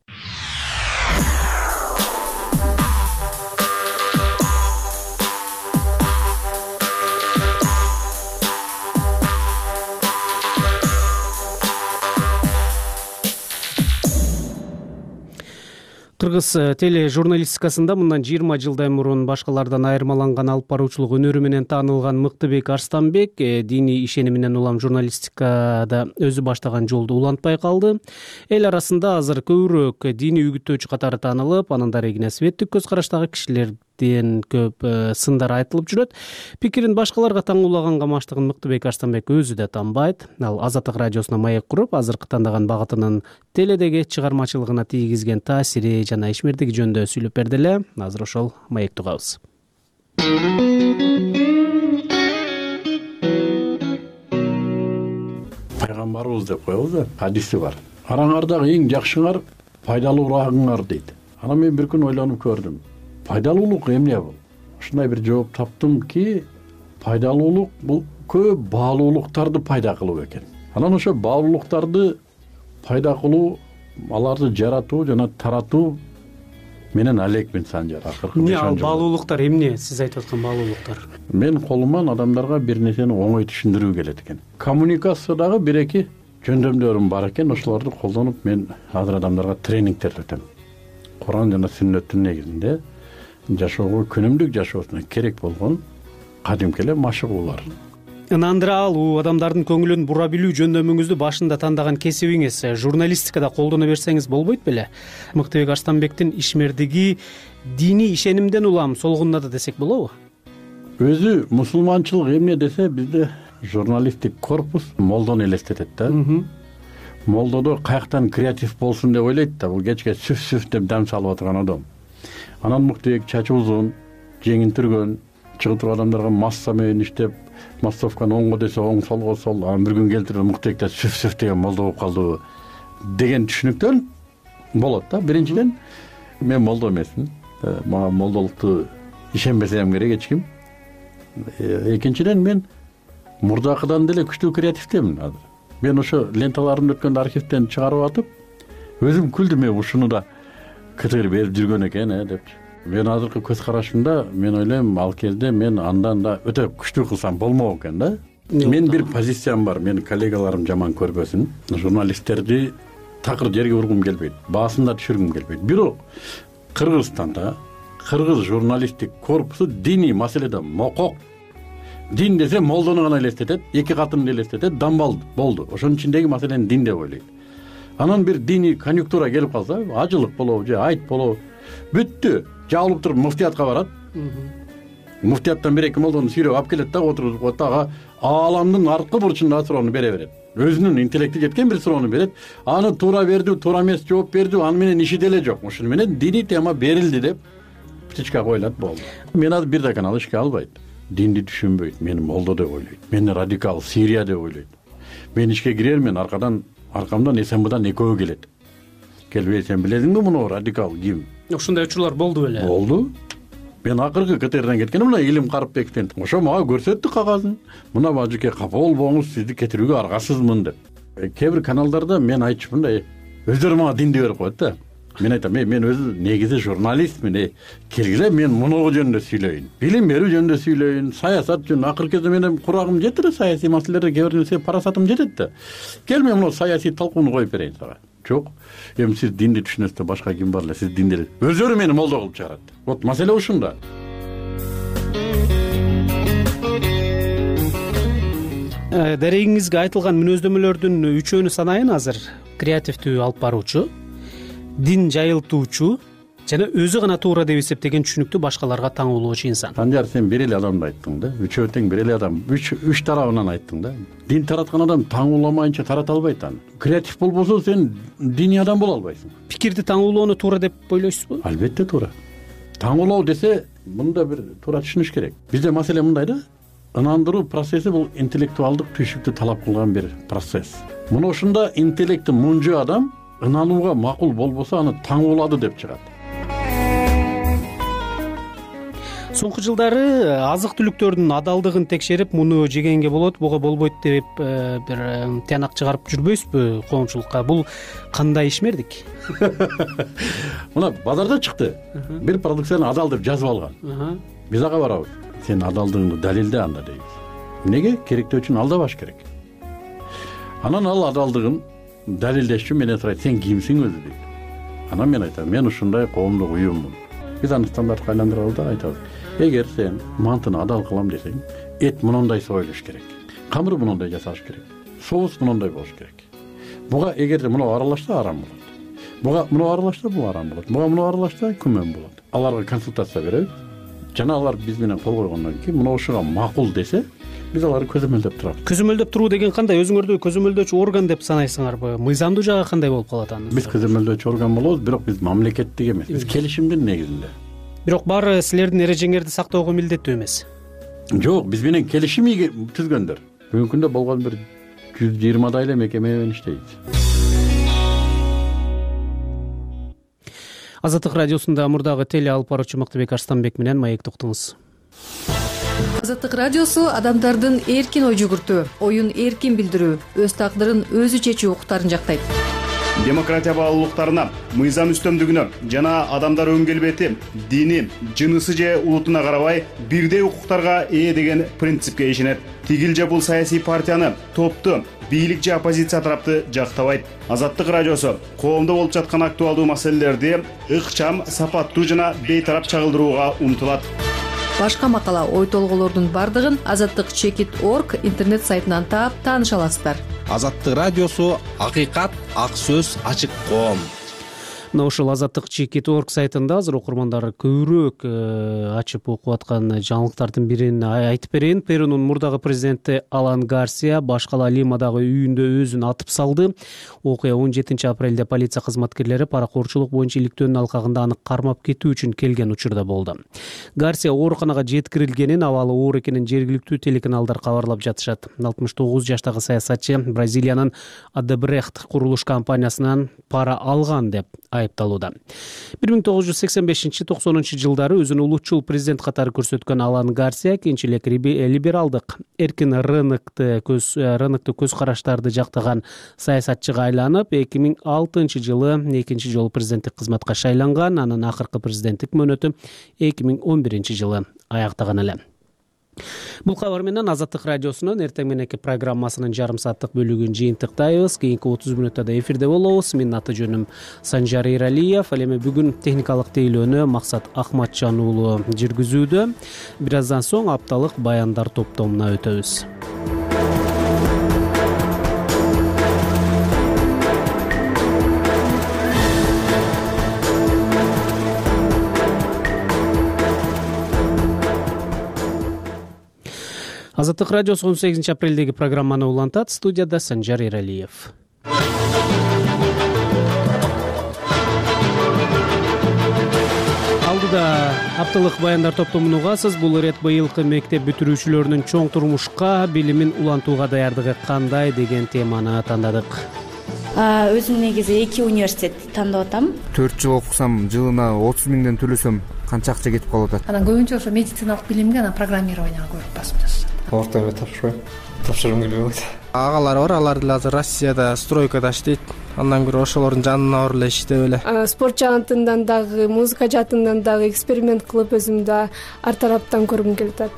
Кыргыз теле журналистикасында мындан жыйырма жылдай мурун башкалардан айырмаланган алып баруучулук өнөрү менен таанылган Мыктыбек Арстанбек диний ишениминен улам журналистикада өзү баштаган жолду улантпай калды. Эл арасында азыр көбүрөөк диний үгүттөөчү катары таанылып, анын дарегине светтик көз караштагы кишилерден көп сындар айтылып жүрөт. Пикирин башкаларга таңуулаганга маштыгын Мыктыбек Арстанбек өзү да танбайт. Ал Азаттык радиосуна маек куруп, азыркы тандаган багытынын теледеги чыгармачылыгына тийгизген таасири жана ишмердиги жөнүндө сүйлөп берди эле. Азыр ошол маекти угабыз. Пайгамбарыбыз деп коебуз да, хадиси бар. Араңардагы эң жакшыңар пайдалуураагыңар дейт. Анан мен бир күн ойлонуп көрдүм. Пайдалуулук эмне бул? Ушундай бир жооп таптым ки, пайдалуулук бул көп баалуулуктарды пайда кылуу экен. Анан ошо баалуулуктарды пайда кылуу, аларды жаратуу жана таратуу менен алекмин Санжар. Акыркы эмне ал баалуулуктар эмне? Сиз айтып аткан баалуулуктар? Мен колуман адамдарга бир нерсени оңой түшүндүрүү келет экен. Коммуникациядагы бир эки жөндөмдөрүм бар экен, ошолорду колдонуп мен азыр адамдарга тренингдер өтөм. Куран жана сүннөттүн негизинде жашоого, күнүмдүк жашоосуна керек болгон кадимки эле машыгуулар. Ынандыра алуу, адамдардын көңүлүн бура билүү жөндөмүңүздү башында тандаган кесибиңиз журналистикада колдоно берсеңиз болбойт беле? Мыктыбек Арстанбектин ишмердиги диний ишенимден улам солгунда десек болобу? Өзү мусулманчылык эмне десе, бизде журналисттик корпус молдону элестетет да. Молдодо каяктан креатив болсун деп ойлойт да, бул кечке сүф-сүф деп дам салып отурган адам. Анан Мыктыбек чачы узун, жеңин түргөн, чыгып турган адамдарга масса менен иштеп, массовканы оңго десе оң, солго сол, анан бир күн келтирип Мыктыбекте сүф-сүф деген молдо болуп калды деген түшүнүктөн болот да. Биринчиден мен молдо эмесмин. Мага молдолукту ишенбесем керек эч ким. Экинчиден мен мурдакыдан деле күчтүү креативдемин азыр. Мен ошо ленталарымды өткөндө архивден чыгарып атып, өзүм күлдүм, ушуну да кытыр берип жүргөн экен, э деп. мен азыркы көз карашымда мен ойлойм ал кезде мен андан да өтө күчтүү кылсам болмок экен да. Мен бир позициям бар, менин коллегаларым жаман көрбөсүн. Журналисттерди такыр жерге ургум келбейт, баасын да түшүргүм келбейт. Бирок Кыргызстанда кыргыз журналисттик корпусу диний маселеде мокок. Дин десе молдону гана элестетет, эки катымды элестетет, дамбал болду. Ошонун ичиндеги маселени дин деп ойлойт. Анан бир диний конъюнктура келип калса, ажылык болобу же айт болобу, бүттү. Жабылып туруп муфтиятка барат. Муфтияттан бир эки молдону сүйрөп алып келет да, отургузуп коет да, ага ааламдын арткы бурчундагы суроону бере берет. Өзүнүн интеллекти жеткен бир суроону берет. Аны туура берди, туура эмес жооп берди, аны менен иши деле жок. Ошону менен диний тема берилди деп птичка коюлат, болду. Мен азыр бир дакан ал ишке албайт. Динди түшүнбөйт, мени молдо деп ойлойт. Мени радикал Сирия деп ойлойт. Мен ишке кирермин, аркадан аркамдан СМБдан экөө келет. Келбей, сен билесиңби муну радикал ким? Ошондой учурлар болду беле? Болду. Мен акыркы КТРдан кеткеним мына Илим Карыпбековден. Ошо мага көрсөттү кагазын. Мына бажыке капа болбоңуз, сизди кетирүүгө аргасызмын деп. Кээ бир каналдарда мен айтчумун, өздөрү мага динди берип коет да. Мен айтам, мен өзү негизи журналистмин, келгиле мен мунугу жөнүндө сүйлөйүн. Билим берүү жөнүндө сүйлөйүн, саясат жөнүндө. Акыркы кезде менин курагым жетти да, саясий маселелерде кээ бир нерсе парасатым жетет да. Кел мен муну саясий талкууну коюп берейин сага. Жок. Эми сиз динди түшүнөсүз, башка ким бар эле, сиз динди. Өздөрү мени молдо кылып чыгарат. Вот маселе ушунда. Дарегиңизге айтылган мүнөздөмөлөрдүн үчөөнү санайын азыр. Креативдүү алып баруучу, дин жайылтуучу жана өзү гана туура деп эсептеген түшүнүктү башкаларга таңуулоочу инсан. Санжар, сен бир эле адамды айттың да. Үчөө тең бир эле адам. Үч үч тарабынан айттың да. Дин тараткан адам таңууламайынча тарата албайт аны. Креатив болбосо сен диний адам боло албайсың. Пикирди таңуулоону туура деп ойлойсузбу? Албетте туура. Таңуулоо десе, мында бир туура түшүнүш керек. Бизде маселе мындай да. Ынандыруу процесси бул интеллектуалдык түйшүктү талап кылган бир процесс. Муну ушунда интеллекти мунжу адам ынанууга макул болбосо аны таңуулады деп чыгат. Соңку жылдары азык-түлүктөрдүн адалдыгын текшерип, муну жегенге болот, буга болбойт деп бир тыянак чыгарып жүрбөйсүзбү коомчулукка? Бул кандай ишмердик? Мына базарда чыкты. Бир продукцияны адал деп жазып алган. Биз ага барабыз. Сен адалдыгыңды далилде анда дейбиз. Эмнеге? Керектөө үчүн алдабаш керек. Анан ал адалдыгын далилдеш үчүн менден сурайт, сен кимсиң өзү дейт. Анан мен айтам, мен ушундай коомдук уюммун. Биз аны стандартка айландырабыз да, айтабыз. Эгер сен мантыны адал кылам десең, эт мындай союлуш керек. Камыр мындай жасаш керек. Соус мындай болуш керек. Буга эгерде муну аралашса арам болот. Буга муну аралашса бул арам болот. Буга муну аралашса күмөн болот. Аларга консультация беребиз. Жана алар биз менен кол койгондон кийин мына ушуга макул десе, биз аларды көзөмөлдөп турабыз. Көзөмөлдөп туруу деген кандай? Өзүңөрдү көзөмөлдөөчү орган деп санайсыңарбы? Мыйзамдуу жагы кандай болуп калат аны? Биз көзөмөлдөөчү орган болобуз, бирок биз мамлекеттик эмес. Биз келишимдин негизинде. Бирок баары силердин эрежеңерди сактоого милдеттүү эмес. Жок, биз менен келишим түзгөндөр. Бүгүнкү күндө болгон бир жүз жыйырмадай эле мекеме менен иштейбиз. Азаттык радиосунда мурдагы теле алып баруучу Мактыбек Арстанбек менен маекти уктуңуз. Азаттык радиосу адамдардын эркин ой жүгүртүү, оюн эркин билдирүү, өз тагдырын өзү чечүү укуктарын жактайт. Демократия баалуулуктарына, мыйзам үстөмдүгүнө жана адамдар өң келбети, дини, жынысы же улутуна карабай бирдей укуктарга ээ деген принципке ишенет. Тигил же бул саясий партияны, топту, бийлик же оппозиция тарапты жактабайт. Азаттык радиосу коомдо болуп жаткан актуалдуу маселелерди ыкчам, сапаттуу жана бейтарап чагылдырууга умтулат. Башка макала, ой толголордун бардыгын азаттык чекит точка орг интернет сайтынан таап тааныша аласыздар. Азаттык радиосу акыйкат, ак сөз, ачык коом. Мына ушул азаттык чекит точка орг сайтында азыр окурмандар көбүрөөк ачып окуп аткан жаңылыктардын бирин айтып берейин. Перунун мурдагы президенти Алан Гарсия башкала Лимадагы үйүндө өзүн атып салды. Окуя он жетинчи апрелде полиция кызматкерлери паракорчулук боюнча иликтөөнүн алкагында аны кармап кетүү үчүн келген учурда болду. Гарсия ооруканага жеткирилгенин, абалы оор экенин жергиликтүү телеканалдар кабарлап жатышат. алтымыш тогуз жаштагы саясатчы Бразилиянын Адебрехт курулуш компаниясынан пара алган деп айыпталууда. бир миң тогуз жүз сексен бешинчи токсонунчу жылдары өзүн улутчул президент катары көрсөткөн Алан Гарсия кийинчерээк либералдык эркин рынокты көз рынокты көз караштарды жактаган саясатчыга айланып, эки миң алтынчы жылы экинчи жолу президенттик кызматка шайланган. Анын акыркы президенттик мөөнөтү эки миң он биринчи жылы аяктаган эле. Бул кабар менен Азаттык радиосунун эртең мененки программасынын жарым сааттык бөлүгүн жыйынтыктайбыз. Кийинки отуз мүнөттө да эфирде болобуз. Менин аты жөнүм Санжар Эралиев. Ал эми бүгүн техникалык тейлөөнү Максат Ахматжан уулу жүргүзүүдө. Бир аздан соң апталык баяндар топтомуна өтөбүз. Азаттык радиосу он сегизинчи апрелдеги программаны улантат. Студияда Санжар Эралиев. Алдыда апталык баяндар топтомун угасыз. Бул ирет быйылкы мектеп бүтүрүүчүлөрүнүн чоң турмушка, билимин улантууга даярдыгы кандай деген теманы тандадык. Өзүм негизи эки университет тандап атам. төрт жыл окусам, жылына отуз миңден төлөсөм канча акча кетип калып атат. Анан көбүнчө ошо медициналык билимге, анан программированияга көп басым жасашат. Орто мектеп тапшырбайм. Тапшыргым келбей калат. Агалар бар, алар деле азыр Россияда стройкада иштейт. Андан көрө ошолордун жанына барып эле иштеп эле. Спорт жагынан дагы, музыка жагынан дагы эксперимент кылып өзүмдү ар тараптан көргүм келип атат.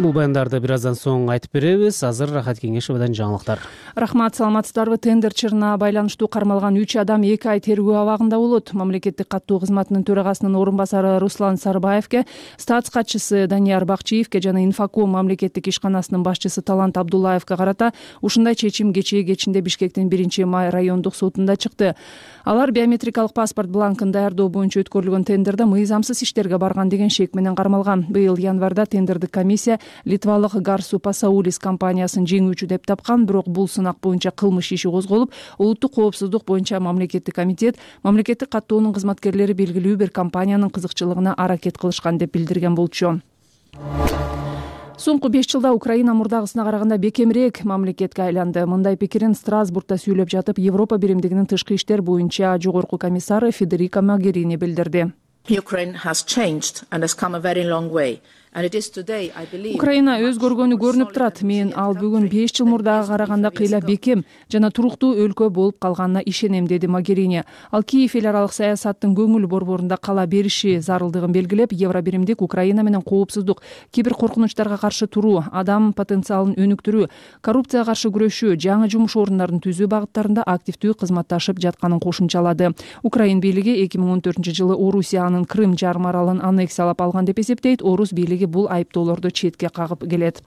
Бул баяндарды бир аздан соң айтып беребиз. Азыр Рахат Кеңешовадан жаңылыктар. Рахмат, саламатсыздарбы? Тендер чырына байланыштуу кармалган үч адам эки ай тергөө абагында болот. Мамлекеттик каттоо кызматынын төрагасынын орун басары Руслан Сарбаевке, статс катчысы Данияр Бакчиевке жана Инфоком мамлекеттик ишканасынын башчысы Талант Абдуллаевке карата ушундай чечим кечээ кечинде Бишкектин биринчи май райондук сотунда чыкты. Алар биометрикалык паспорт бланкын даярдоо боюнча өткөрүлгөн тендерде мыйзамсыз иштерге барган деген шек менен кармалган. Быйыл январда тендердик комиссия Литвалык Гарсу Пасаулис компаниясын жеңүүчү деп тапкан, бирок бул сынак боюнча кылмыш иши козголуп, улуттук коопсуздук боюнча мамлекеттик комитет мамлекеттик каттоонун кызматкерлери белгилүү бир компаниянын кызыкчылыгына аракет кылышкан деп билдирген болчу. Соңку беш жылда Украина мурдагысына караганда бекемирээк мамлекетке айланды. Мындай пикирин Страсбургда сүйлөп жатып, Европа биримдигинин тышкы иштер боюнча жогорку комиссары Федерика Могерини билдирди. Ukraine has changed and has come a very long way. Украина өзгөргөнү көрүнүп турат. Мен ал бүгүн беш жыл мурдага караганда кыйла бекем жана туруктуу өлкө болуп калганына ишенем, деди Могерини. Ал Киев эл аралык саясаттын көңүл борборунда кала бериши зарылдыгын белгилеп, Евро биримдик Украина менен коопсуздук, кибер коркунучтарга каршы туруу, адам потенциалын өнүктүрүү, коррупцияга каршы күрөшүү, жаңы жумуш орундарын түзүү багыттарында активдүү кызматташып жатканын кошумчалады. Украин бийлиги эки миң он төртүнчү жылы Орусиянын Крым жарым аралын аннексиялап алган деп эсептейт. Орус бийлиги бул айыптоолорду четке кагып келет.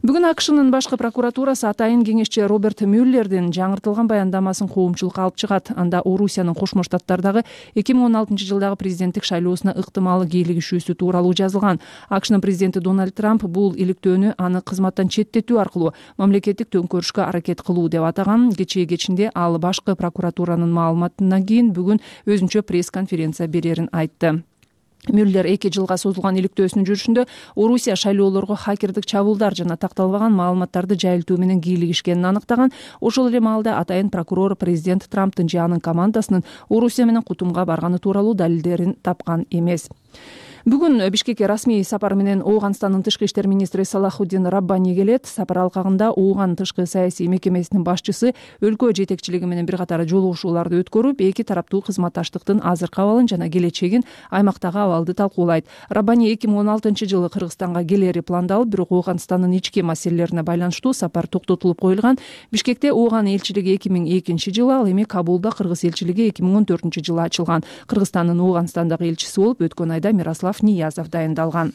Бүгүн АКШнын башкы прокуратурасы атайын кеңешчи Роберт Мюллердин жаңыртылган баяндамасын коомчулукка алып чыгат. Анда Орусиянын Кошмо Штаттардагы эки миң он алтынчы жылдагы президенттик шайлоосуна ыктымал кийлигишүүсү тууралуу жазылган. АКШнын президенти Дональд Трамп бул иликтөөнү аны кызматтан четтетүү аркылуу мамлекеттик төңкөрүшкө аракет кылуу деп атаган. Кечээ кечинде ал башкы прокуратуранын маалыматынан кийин бүгүн өзүнчө пресс-конференция берерин айтты. Мюллер эки жылга созулган иликтөөсүнүн жүрүшүндө Орусия шайлоолорго хакердик чабуулдар жана такталбаган маалыматтарды жайылтуу менен кийлигишкенин аныктаган. Ошол эле маалда атайын прокурор президент Трамптын же анын командасынын Орусия менен кутумга барганы тууралуу далилдерин тапкан эмес. Бүгүн Бишкекке расмий сапар менен Ооганстандын тышкы иштер министри Салахуддин Раббани келет. Сапар алкагында Ооган тышкы саясий мекемесинин башчысы өлкө жетекчилиги менен бир катар жолугушууларды өткөрүп, эки тараптуу кызматташтыктын азыркы абалын жана келечегин, аймактагы абалды талкуулайт. Раббани эки миң он алтынчы жылы Кыргызстанга келери пландалып, бирок Ооганстандын ички маселелерине байланыштуу сапар токтотулуп коюлган. Бишкекте Ооган элчилиги эки миң экинчи жылы, ал эми Кабулда Кыргыз элчилиги эки миң он төртүнчү жылы ачылган. Кыргызстандын Ооганстандагы элчиси болуп өткөн айда Мирослав Ниязов дайындалган.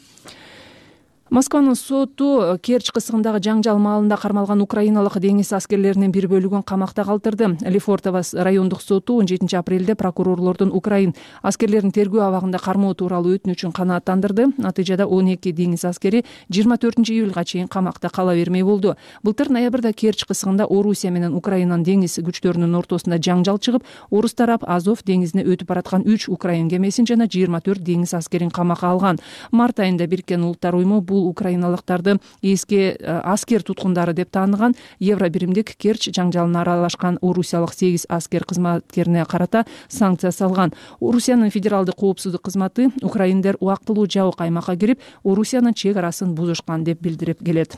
Москванын соту Керчь кысыгындагы жаңжал маалында кармалган украиналык деңиз аскерлеринин бир бөлүгүн камакта калтырды. Лефортово райондук соту он жетинчи апрелде прокурорлордун Украин аскерлерин тергөө абагында кармоо тууралуу өтүнүчүн канааттандырды. Натыйжада он эки деңиз аскери жыйырма төртүнчү июлга чейин камакта кала бермей болду. Былтыр ноябрда Керчь кысыгында Орусия менен Украинанын деңиз күчтөрүнүн ортосунда жаңжал чыгып, орус тарап Азов деңизине өтүп бараткан үч украин кемесин жана жыйырма төрт деңиз аскерин камакка алган. Март айында Бириккен Улуттар уюму бул бул украиналыктарды эски аскер туткундары деп тааныган евро биримдик Керчь жаңжалына аралашкан орусиялык сегиз аскер кызматкерине карата санкция салган. Орусиянын федералдык коопсуздук кызматы украиндер убактылуу жабык аймакка кирип, Орусиянын чек арасын бузушкан деп билдирип келет.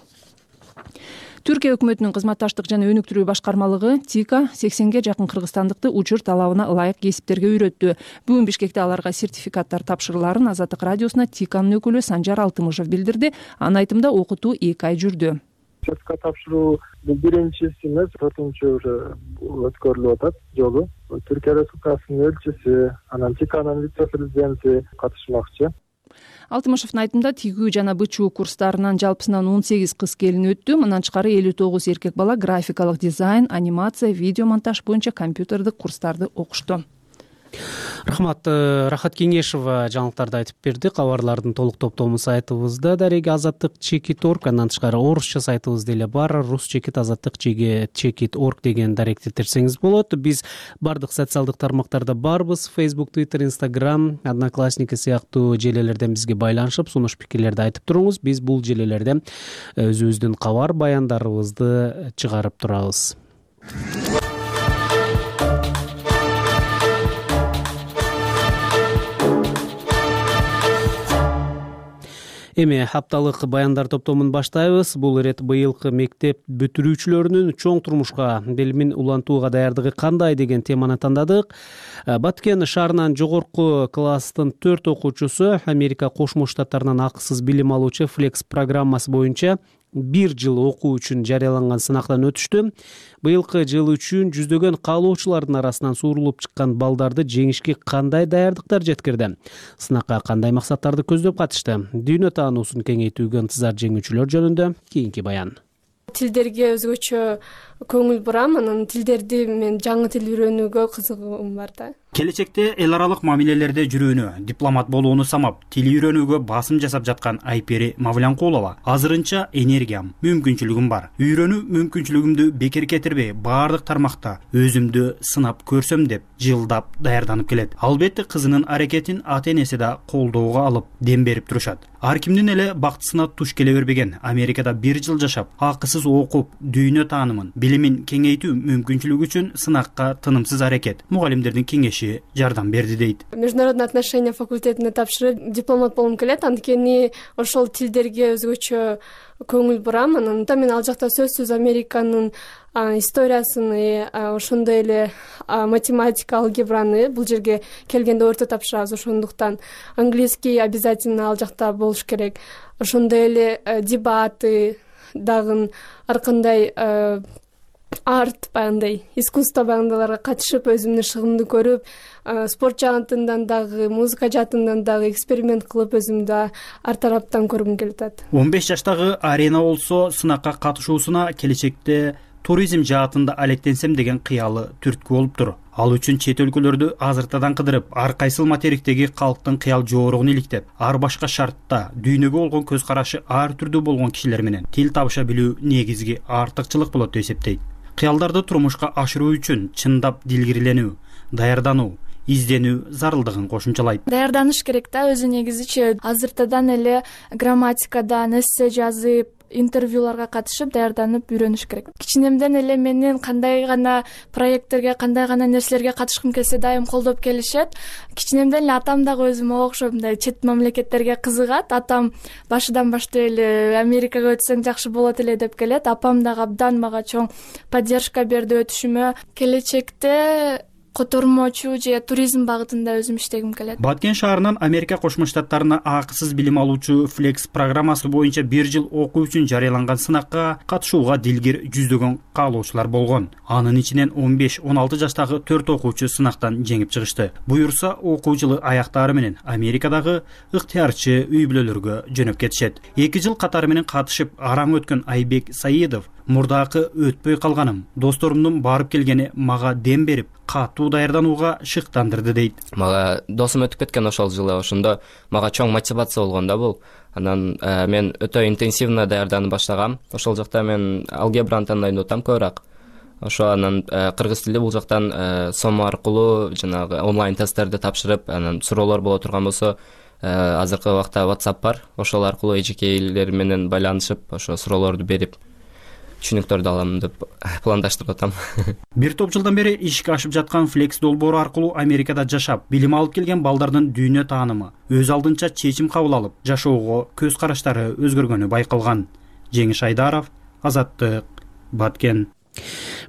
Түркия өкмөтүнүн кызматташтык жана өнүктүрүү башкармалыгы ТИКа сексенге жакын кыргызстандыкты учур талабына ылайык кесиптерге үйрөттү. Бүгүн Бишкекте аларга сертификаттар тапшырыларын Азаттык радиосуна ТИКанын өкүлү Санжар Алтымышев билдирди. Анын айтымында окутуу эки ай жүрдү. Сертификат тапшыруу бул биринчиси эмес, төртүнчү уже өткөрүлүп атат жолу. Түркия Республикасынын элчиси, анан ТИКанын вице-президенти катышмакчы. Алтымышевдин айтымында тигүү жана бычуу курстарынан жалпысынан он сегиз кыз келин өттү. Мындан тышкары элүү тогуз эркек бала графикалык дизайн, анимация, видео монтаж боюнча компьютердик курстарды окушту. Рахмат. Рахат Кеңешова жаңылыктарды айтып берди. Кабарлардын толук топтому сайтыбызда дареги азаттык чекит орг, андан тышкары орусча сайтыбыз деле бар. Рус чекит азаттык чекит орг деген даректи терсеңиз болот. Биз бардык социалдык тармактарда барбыз. Facebook, Twitter, Instagram, Одноклассники сыяктуу желелерден бизге байланышып, сунуш пикирлерди айтып туруңуз. Биз бул желелерде өзүбүздүн кабар баяндарыбызды чыгарып турабыз. Эми хапталык баяндар топтомун баштайбыз. Бул ирет быйылкы мектеп бүтүрүүчүлөрүнүн чоң турмушка билимин улантууга даярдыгы кандай деген теманы тандадык. Баткен шаарынын жогорку класстын төрт окуучусу Америка Кошмо Штаттарынан акысыз билим алуучу Flex программасы боюнча бир жыл окуу үчүн жарыяланган сынактан өтүштү. Быйылкы жыл үчүн жүздөгөн каалоочулардын арасынан суурулуп чыккан балдарды жеңишке кандай даярдыктар жеткирди? Сынакка кандай максаттарды көздөп катышты? Дүйнө таануусун кеңейтүүгө ынтызар жеңүүчүлөр жөнүндө кийинки баян. Тилдерге өзгөчө көңүл бурам, анан тилдерди мен жаңы тил үйрөнүүгө кызыгуум бар да. Келечекте эл аралык мамилелерде жүрүүнү, дипломат болууну самап, тил үйрөнүүгө басым жасап жаткан Айпери Мавлянкулова азырынча энергиям, мүмкүнчүлүгүм бар. Үйрөнүү мүмкүнчүлүгүмдү бекер кетирбей, баардык тармакта өзүмдү сынап көрсөм деп жылдап даярданып келет. Албетте кызынын аракетин ата-энеси да колдоого алып, дем берип турушат. Ар кимдин эле бактысына туш келе бербеген. Америкада бир жыл жашап, акысыз окуп, дүйнө таанымын, билимин кеңейтүү мүмкүнчүлүгү үчүн сынакка тынымсыз аракет. Мугалимдердин кеңеши жардам берди дейт. Международный отношения факультетине тапшырып дипломат болгум келет, анткени ошол тилдерге өзгөчө көңүл бурам. Анан мен ал жакта сөзсүз Американын историясын, ошондой эле математика, алгебраны бул жерге келгенде орто тапшырабыз. Ошондуктан английский обязательно ал жакта болуш керек. Ошондой эле дебаты дагы ар кандай арт баягындай искусство баягындайларга катышып, өзүмдүн шыгымды көрүп, спорт жаатынан дагы, музыка жаатынан дагы эксперимент кылып, өзүмдү ар тараптан көргүм келип атат. он беш жаштагы Арена болсо сынакка катышуусуна келечекте туризм жаатында алектенсем деген кыялы түрткү болуптур. Ал үчүн чет өлкөлөрдү азыртадан кыдырып, ар кайсыл материктеги калктын кыял жоорогун иликтеп, ар башка шартта дүйнөгө болгон көз карашы ар түрдүү болгон кишилер менен тил табыша билүү негизги артыкчылык болот деп эсептейт. Кыялдарды турмушка ашыруу үчүн чындап дилгирленүү, даярдануу, изденүү зарылдыгын кошумчалайт. Даярданыш керек да, өзү негизичи азыртадан эле грамматикадан эссе жазып, интервьюларга катышып даярданып үйрөнүш керек. Кичинемден эле менин кандай гана проекттерге, кандай гана нерселерге катышкым келсе дайым колдоп келишет. Кичинемден эле атам дагы өзүмө окшоп мындай чет мамлекеттерге кызыгат. Атам башыдан баштап эле Америкага өтсөң жакшы болот эле деп келет. Апам дагы абдан мага чоң поддержка берди өтүшүмө. Келечекте котормочу же туризм багытында өзүм иштегим келет. Баткен шаарынын Америка Кошмо Штаттарына акысыз билим алуучу Flex программасы боюнча бир жыл окуу үчүн жарыяланган сынакка катышууга дилгир жүздөгөн каалоочулар болгон. Анын ичинен он беш он алты жаштагы төрт окуучу сынактан жеңип чыгышты. Буюрса, окуу жылы аяктаары менен Америкадагы ыктыярчы үй бүлөлөргө жөнөп кетишет. эки жыл катары менен катышып араң өткөн Айбек Саидов мурдакы өтпөй калганым, досторумдун барып келгени мага дем берип, катуу даярданууга шыктандырды дейт. Мага досум өтүп кеткен ошол жылы, ошондо мага чоң мотивация болгон да бул. Анан ә, мен өтө интенсивно даярданып баштагам. Ошол жакта мен алгебраны тандайын атам көбүрөөк. Ошо анан ә, кыргыз тили бул жактан ә, сом аркылуу жанагы онлайн тесттерди тапшырып, анан суроолор боло турган болсо, азыркы убакта WhatsApp бар, ошол аркылуу эжекейлер менен байланышып ошо суроолорду берип түшүнүктөрдү алам деп пландаштырып атам. Бир топ жылдан бери ишке ашып жаткан Flex долбоору аркылуу Америкада жашап, билим алып келген балдардын дүйнө таанымы, өз алдынча чечим кабыл алып, жашоого көз караштары өзгөргөнү байкалган. Жеңиш Айдаров, Азаттык, Баткен.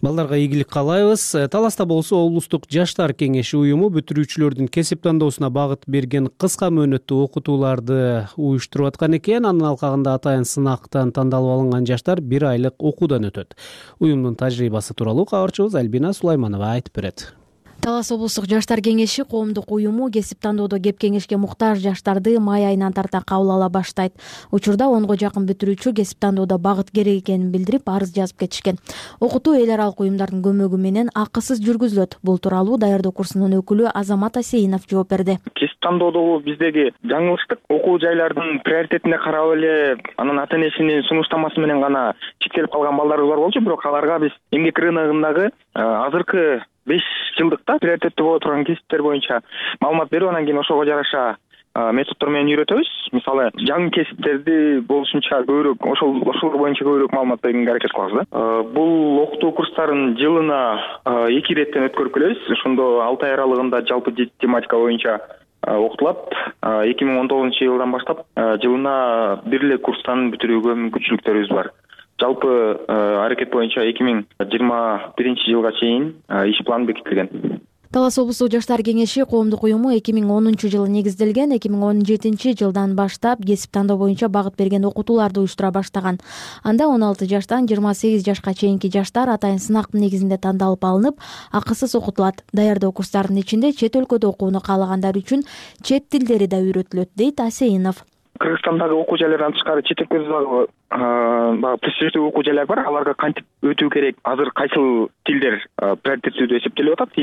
Балдарга ийгилик каалайбыз. Таласта болсо облустук жаштар кеңеши уюму бүтүрүүчүлөрдүн кесип тандоосуна багыт берген кыска мөөнөттүү окутууларды уюштуруп аткан экен. Анын алкагында атайын сынактан тандалып алынган жаштар бир айлык окуудан өтөт. Уюмдун тажрыйбасы тууралуу кабарчыбыз Альбина Сулайманова айтып берет. Талас облустук жаштар кеңеши коомдук уюму кесип тандоодо кеп кеңешке муктаж жаштарды май айынан тарта кабыл ала баштайт. Учурда онго жакын бүтүрүүчү кесип тандоодо багыт керек экенин билдирип, арыз жазып кетишкен. Окутуу эл аралык уюмдардын көмөгү менен акысыз жүргүзүлөт. Бул тууралуу даярдоо курсунун өкүлү Азамат Асейинов жооп берди. Кесип тандоодогу биздеги жаңылыштык окуу жайлардын приоритетине карап эле анын ата энесинин сунуштамасы менен гана чектелип калган балдарыбыз бар болчу, бирок аларга биз эмгек рыногундагы азыркы беш жылдыкта приоритеттүү боло турган кесиптер боюнча маалымат берип, анан кийин ошого жараша методдор менен үйрөтөбүз. Мисалы, жаңы кесиптерди болушунча көбүрөөк ошол ошолор боюнча көбүрөөк маалымат бергенге аракет кылабыз да. Бул окутуу курстарын жылына эки иреттен өткөрүп келебиз. Ошондо алты ай аралыгында жалпы тематика боюнча окутулат. эки миң он тогузунчу жылдан баштап жылына бир эле курстан бүтүрүүгө мүмкүнчүлүктөрүбүз бар. Жалпы аракет боюнча эки миң жыйырма биринчи жылга чейин иш план бекитилген. Талас облустук жаштар кеңеши коомдук уюму эки миң онунчу жылы негизделген. эки миң он жетинчи жылдан баштап кесип тандоо боюнча багыт берген окутууларды уюштура баштаган. Анда он алты жаштан жыйырма сегиз жашка чейинки жаштар атайын сынактын негизинде тандалып алынып, акысыз окутулат. Даярдоо курстарынын ичинде чет өлкөдө окууну каалагандар үчүн чет тилдери да үйрөтүлөт, дейт Асейинов. Кыргызстандагы окуу жайлардан тышкары чет өлкөдөгү баягы престиждүү окуу жайлар бар. Аларга кантип өтүү керек? Азыр кайсыл тилдер приоритеттүү деп эсептелип атат?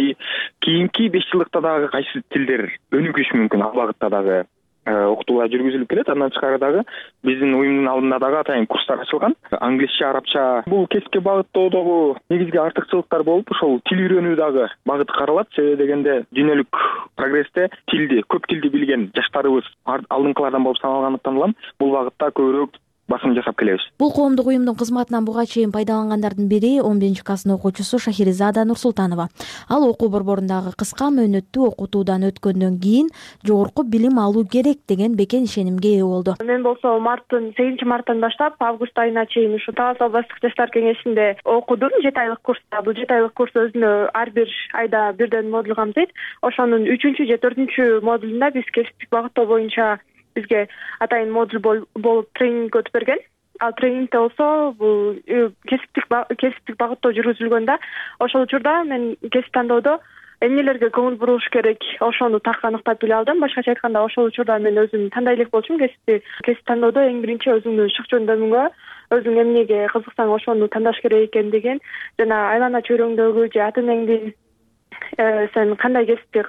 Кийинки беш жылдыкта дагы кайсы тилдер өнүгүшү мүмкүн? Ал багытта дагы окутуулар жүргүзүлүп келет. Андан тышкары дагы биздин уюмдун алдында дагы атайын курстар ачылган. Англисче, арабча. Бул кесипке багыттоодогу негизги артыкчылыктар болуп, ошол тил үйрөнүү дагы багыты каралат. Себеби дегенде дүйнөлүк прогрессте тилди, көп тилди билген жаштарыбыз алдыңкылардан болуп саналгандыктан улам бул багытта көбүрөөк басым жасап келебиз. Бул коомдук уюмдун кызматынан буга чейин пайдалангандардын бири он биринчи класстын окуучусу Шахиризада Нурсултанова. Ал окуу борборундагы кыска мөөнөттүү окутуудан өткөндөн кийин жогорку билим алуу керек деген бекен ишенимге ээ болду. Мен болсо марттын сегизинчи марттан баштап август айына чейин ушу Талас областык жаштар кеңешинде окудум. жети айлык курста. Бул жети айлык курс өзүнө ар бир айда бирден модуль камтыйт. Ошонун үчүнчү же төртүнчү модулунда биз кесиптик багыттоо боюнча бизге атайын модуль болуп тренинг өтүп берген. Ал тренингде болсо бул кесиптик кесиптик багыттоо жүргүзүлгөндө ошол учурда мен кесип тандоодо эмнелерге көңүл бурулуш керек, ошону так аныктап биле алдым. Башкача айтканда, ошол учурда мен өзүм тандай элек болчумун. Кесипти кесип тандоодо эң биринчи өзүңдүн шык жөндөмүңгө, өзүң эмнеге кызыксаң ошону тандаш керек экен деген, жана айлана чөйрөңдөгү же ата энеңдин сен кандай кесипти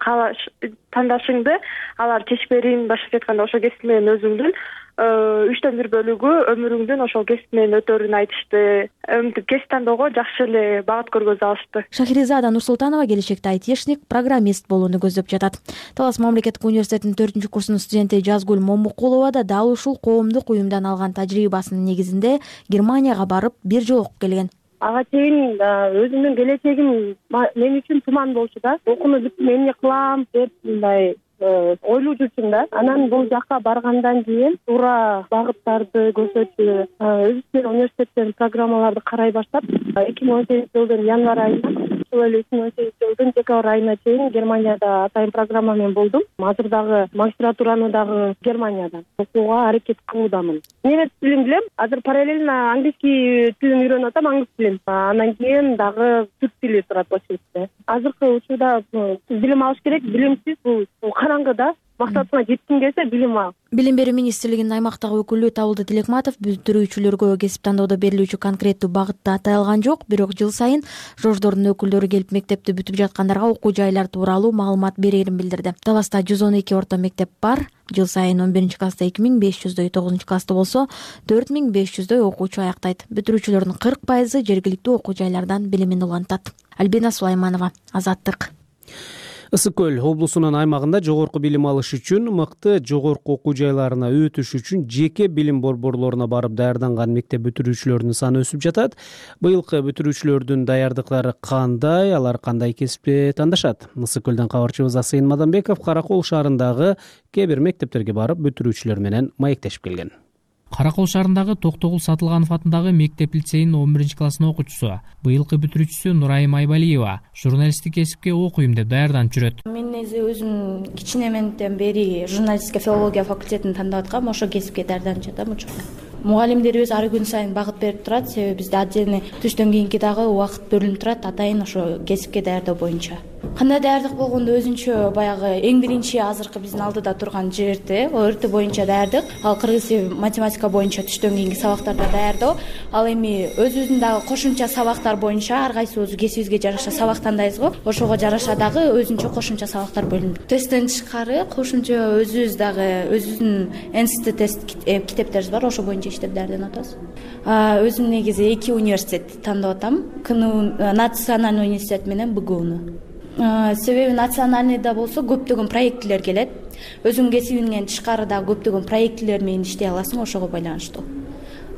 тандашыңды алар чечип берин. Башкача айтканда, ошол кесип менен өзүңдүн үчтөн бир бөлүгү өмүрүңдүн ошол кесип менен өтөрүн айтышты. Мынтип кесип тандоого жакшы эле багыт көргөзүп алышты. Шахиризада Нурсултанова келечекте айтишник, программист болууну көздөп жатат. Талас мамлекеттик университетинин төртүнчү курсунун студенти Жазгүл Момукулова да дал ушул коомдук уюмдан алган тажрыйбасынын негизинде Германияга барып бир жыл окуп келген. Ага чейин өзүмдүн келечегим мен үчүн туман болчу да. Окууну бүттүм, эмне кылам деп мындай ойлуу жүрчүм да. Анан бул жакка баргандан кийин туура багыттарды көрсөтчү өзүбүздүн университеттен программаларды карай баштап эки миң он сегизинчи жылдын январь айынан ушул эле эки миң он сегизинчи жылдын декабрь айына чейин Германияда атайын программа менен болдум. Азыр дагы магистратураны дагы Германиядан окууга аракет кылуудамын. Немец тилин билем. Азыр параллельно английский тилин үйрөнүп атам, англис тилин. Андан кийин дагы түрк тили турат очередьте. Азыркы учурда билим алыш керек. Билимсиз бул караңгы да. Максатыңа жеткиң келсе билим ал. Билим берүү министрлигинин аймактагы өкүлү Табылды Тилекматов бүтүрүүчүлөргө кесип тандоодо берилүүчү конкреттүү багытты атай алган жок, бирок жыл сайын жождордун өкүлдөрү келип мектепти бүтүп жаткандарга окуу жайлар тууралуу маалымат берерин билдирди. Таласта жүз он эки орто мектеп бар. Жыл сайын он биринчи класста эки миң беш жүздөй, тогузунчу класста болсо төрт миң беш жүздөй окуучу аяктайт. Бүтүрүүчүлөрдүн кырк пайызы жергиликтүү окуу жайлардан билимин улантат. Альбина Сулайманова, Азаттык. ысык көл облусунун аймагында жогорку билим алыш үчүн мыкты жогорку окуу жайларына өтүш үчүн жеке билим борборлоруна барып даярданган мектеп бүтүрүүчүлөрүнүн саны өсүп жатат. Быйылкы бүтүрүүчүлөрдүн даярдыктары кандай, алар кандай кесипти тандашат? Ысык көлдөн кабарчыбыз Асыйын Мадамбеков Каракол шаарындагы кээ бир мектептерге барып бүтүрүүчүлөр менен маектешип келген. Каракол шаарындагы Токтогул Сатылганов атындагы мектеп лицейинин он биринчи классынын окуучусу, быйылкы бүтүрүүчүсү Нурайым Айбалиева журналисттик кесипке окуйм деп даярданып жүрөт. Мен негизи өзүм кичинеменден бери журналистика филология факультетин тандап аткам, ошо кесипке даярданып жатам учурда. Мугалимдерибиз ар күн сайын багыт берип турат, себеби бизде отдельный түштөн кийинки дагы убакыт бөлүнүп турат атайын ошо кесипке даярдоо боюнча. Кандай даярдык болгондо өзүнчө баягы эң биринчи азыркы биздин алдыда турган ЖРТ, ОРТ боюнча даярдык. Ал кыргыз тили математика боюнча түштөн кийинки сабактарда даярдоо. Ал эми өзүбүздүн дагы кошумча сабактар боюнча ар кайсыбыз кесибибизге жараша сабак тандайбыз го. Ошого жараша дагы өзүнчө кошумча сабактар бөлүнүп. Тесттен тышкары кошумча өзүбүз дагы өзүбүздүн эн эс тэ тест китептерибиз бар, ошо боюнча иштеп даярданып атабыз. Өзүм негизи эки университетти тандап атам. КНУ Национальный университет менен БГУну. Себеби национальныйда болсо көптөгөн проектилер келет. Өзүң кесибиңден тышкары дагы көптөгөн проектилер менен иштей аласың, ошого байланыштуу.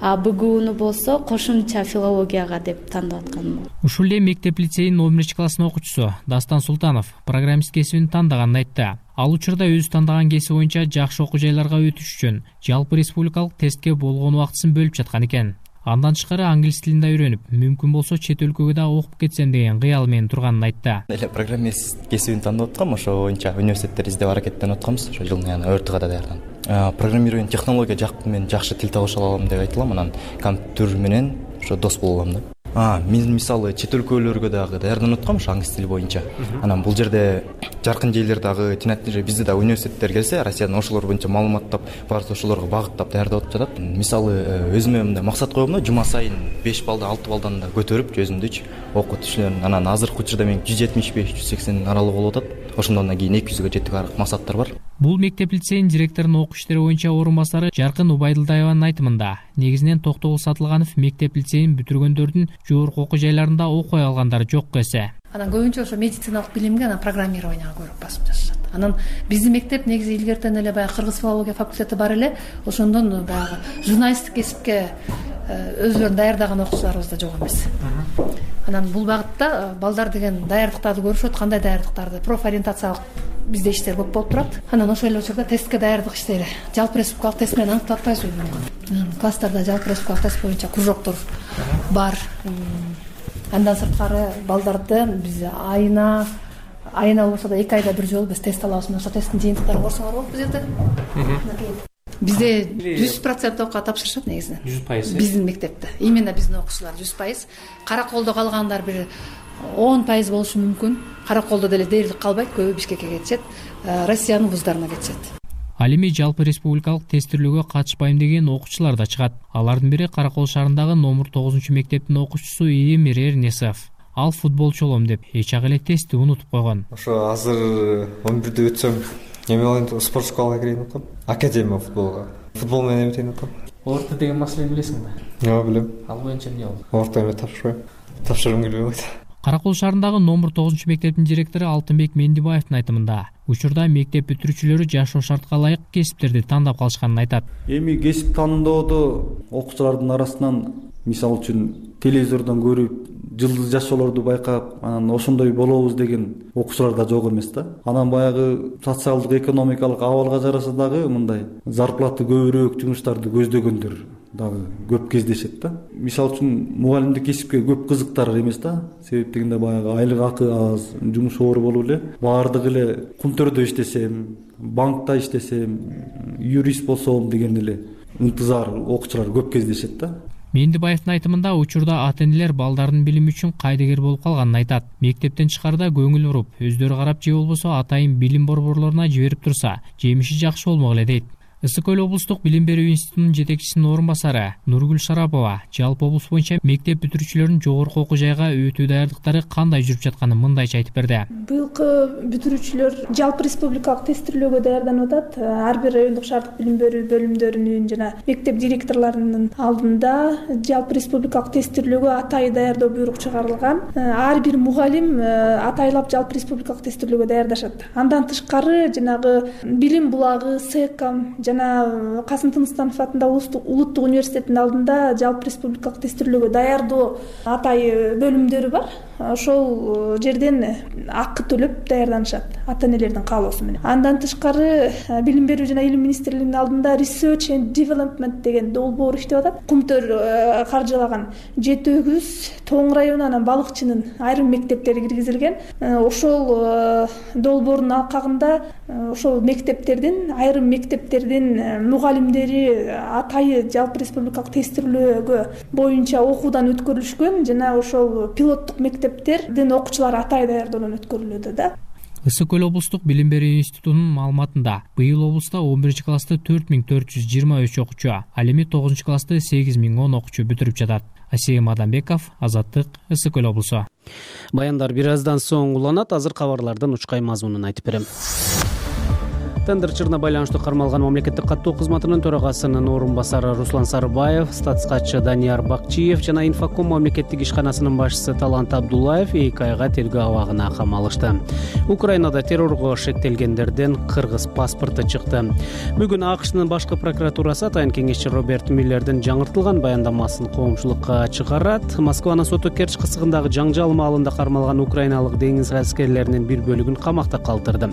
А БГУну болсо кошумча филологияга деп тандап атканым. Ушул эле мектеп лицейинин он биринчи классынын окуучусу Дастан Султанов программист кесибин тандаганын айтты. Ал учурда өзү тандаган кесип боюнча жакшы окуу жайларга өтүш үчүн жалпы республикалык тестке болгон убактысын бөлүп жаткан экен. Андан тышкары англис тилин да үйрөнүп, мүмкүн болсо чет өлкөгө да окуп кетсем деген кыял менен турганын айтты. Эле программист кесибин тандап аткам, ошо боюнча университеттер издеп аракеттенип атканбыз, ошо жылына яна ОРТга да даярданып. Программирование технология жакты мен жакшы тил табыша алам деп айтылам, анан компьютер менен ошо дос боло алам да. А, мен мисалы чет өлкөлөргө дагы даярданып аткам, ошо англис тили боюнча. Анан бул жерде жаркын жерлер дагы тинатты бизде да университеттер келсе, Россиядан ошолор боюнча маалыматтап, барса ошолорго багыттап даярдап жатат. Мисалы өзүмө мындай максат коём да, жума сайын беш балды, алты балдан да көтөрүп, өзүмдүчү окутуучуларын. Анан азыркы учурда мен жүз жетимиш беш жүз сексен аралык болуп атат. Ошондон кийин эки жүзгө жетик максаттар бар. Бул мектеп лицейинин директорунун окуу иштери боюнча орун басары Жаркын Убайдылдаеванын айтымында, негизинен Токтогул Сатылганов мектеп лицейин бүтүргөндөрдүн жогорку окуу жайларында окуй алгандары жок эсе. Анан көбүнчө ошо медициналык билимге, анан программированияга көбүрөөк басым жасашат. Анан биздин мектеп негизи илгертен эле баягы кыргыз филология факультети бар эле, ошондон баягы журналисттик кесипке өзүлөрүн даярдаган окуучуларыбыз да жок эмес. Анан бул багытта балдар деген даярдыктарды көрүшөт, кандай даярдыктарды, профориентациялык бизде иштер көп болуп турат. Анан ошол эле учурда тестке даярдык иштейли. Жалпы республикалык тест менен аныктап атпайбызбы мүмкүн. Класстарда жалпы республикалык тест боюнча кружоктор бар. Андан сырткары балдардын биз айына айына болбосо да эки айда бир жолу биз тест алабыз. Ошо тесттин жыйынтыктарын көрсөңөр болот биз жерде. Бизде жүз процент окууга тапшырышат негизинен. жүз пайыз. Биздин мектепте. Именно биздин окуучулар жүз пайыз. Караколдо калгандар бир он пайыз болушу мүмкүн. Караколдо деле дээрлик калбайт, көбү Бишкекке кетишет, Россиянын вуздарына кетишет. Ал эми жалпы республикалык тестирлөөгө катышпайм деген окуучулар да чыгат. Алардын бири Каракол шаарындагы номер тогузунчу мектептин окуучусу Эмир Эрнесов. Ал футболчу болом деп эч ак эле тестти унутуп койгон. Ошо азыр он бирде өтсөм, эми ал спорт школага кирейин деп атам. Академия футболго. Футбол менен эметейин деп атам. Орто деген маселени билесиңби? Жок, билем. Ал боюнча эмне болду? Орто эме тапшырбайм. Тапшыргым келбей калат. Каракол шаарындагы номер тогузунчу мектептин директору Алтынбек Мендибаевдин айтымында, учурда мектеп бүтүрүүчүлөрү жашоо шартка ылайык кесиптерди тандап калышканын айтат. Эми кесип тандоодо окуучулардын арасынан мисалы үчүн телевизордон көрүп, жылдыз жашоолорду байкап, анан ошондой болобуз деген окуучулар да жок эмес да. Анан баягы социалдык экономикалык абалга жараша дагы мындай зарплаты көбүрөөк жумуштарды көздөгөндөр дагы көп кездешет да. Мисалы үчүн мугалимдик кесипке көп кызыктар эмес да. Себеп дегенде баягы айлык акы аз, жумуш оор болуп эле, баардыгы эле кунтөрдө иштесем, банкта иштесем, юрист болсом деген эле ынтызар окуучулар көп кездешет да. Мендибаевдин айтымында учурда ата-энелер балдардын билими үчүн кайдыгер болуп калганын айтат. Мектептен тышкарыда көңүл буруп, өздөрү карап же болбосо атайын билим борборлоруна жиберип турса, жемиши жакшы болмок эле дейт. ысык көл облустук билим берүү институтунун жетекчисинин орун басары Нургүл Шарапова жалпы облус боюнча мектеп бүтүрүүчүлөрүнүн жогорку окуу жайга өтүү даярдыктары кандай жүрүп жатканын мындайча айтып берди. Быйылкы бүтүрүүчүлөр жалпы республикалык тестирлөөгө даярданып атат. Ар бир райондук шаардык билим берүү бөлүмдөрүнүн жана мектеп директорлорунун алдында жалпы республикалык тестирлөөгө атайы даярдоо буйрук чыгарылган. Ар бир мугалим атайлап жалпы республикалык тестирлөөгө даярдашат. Андан тышкары жанагы билим булагы, СЭКам жана Касым Тыныстанов атындагы улуттук университеттин алдында жалпы республикалык тестирлөөгө даярдоо атайы бөлүмдөрү бар. Ошол жерден акы төлөп даярданышат ата энелердин каалоосу менен. Андан тышкары билим берүү жана илим министрлигинин алдында Research and Development деген долбоор иштеп атат. Кумтөр каржылаган жети өгүз Тоң району анан Балыкчынын айрым мектептери киргизилген. Ошол долбоордун алкагында ошол мектептердин айрым мектептердин мугалимдери атайы жалпы республикалык тестирлөөгө боюнча окуудан өткөрүлүшкөн жана ошол пилоттук мектептердин окуучулары атайы даярдоодон өткөрүлүүдө да. ысык көл облустук билим берүү институтунун маалыматында быйыл облуста он биринчи классты төрт миң төрт жүз жыйырма үч окуучу, ал эми тогузунчу классты сегиз миң он окуучу бүтүрүп жатат. Асем Адамбеков, Азаттык, ысык көл облусу. Баяндар бир аздан соң уланат. Азыр кабарлардын учкай мазмунун айтып берем. Тендер-чырына байланыштуу кармалган мамлекеттик каттоо кызматынын төрагасынын орун басары Руслан Сарыбаев, статскатчы Данияр Бакчиев жана Инфоком мамлекеттик ишканасынын башчысы Талант Абдуллаев эки айга тергөө абагына камалышты. Украинада террорго шектелгендерден кыргыз паспорту чыкты. Бүгүн АКШнын башкы прокуратурасы атайын кеңешчи Роберт Миллердин жаңыртылган баяндамасын коомчулукка чыгарат. Москванын соту Керчь кысыгындагы жаңжал маалында кармалган украиналык деңиз аскерлеринин бир бөлүгүн камакта калтырды.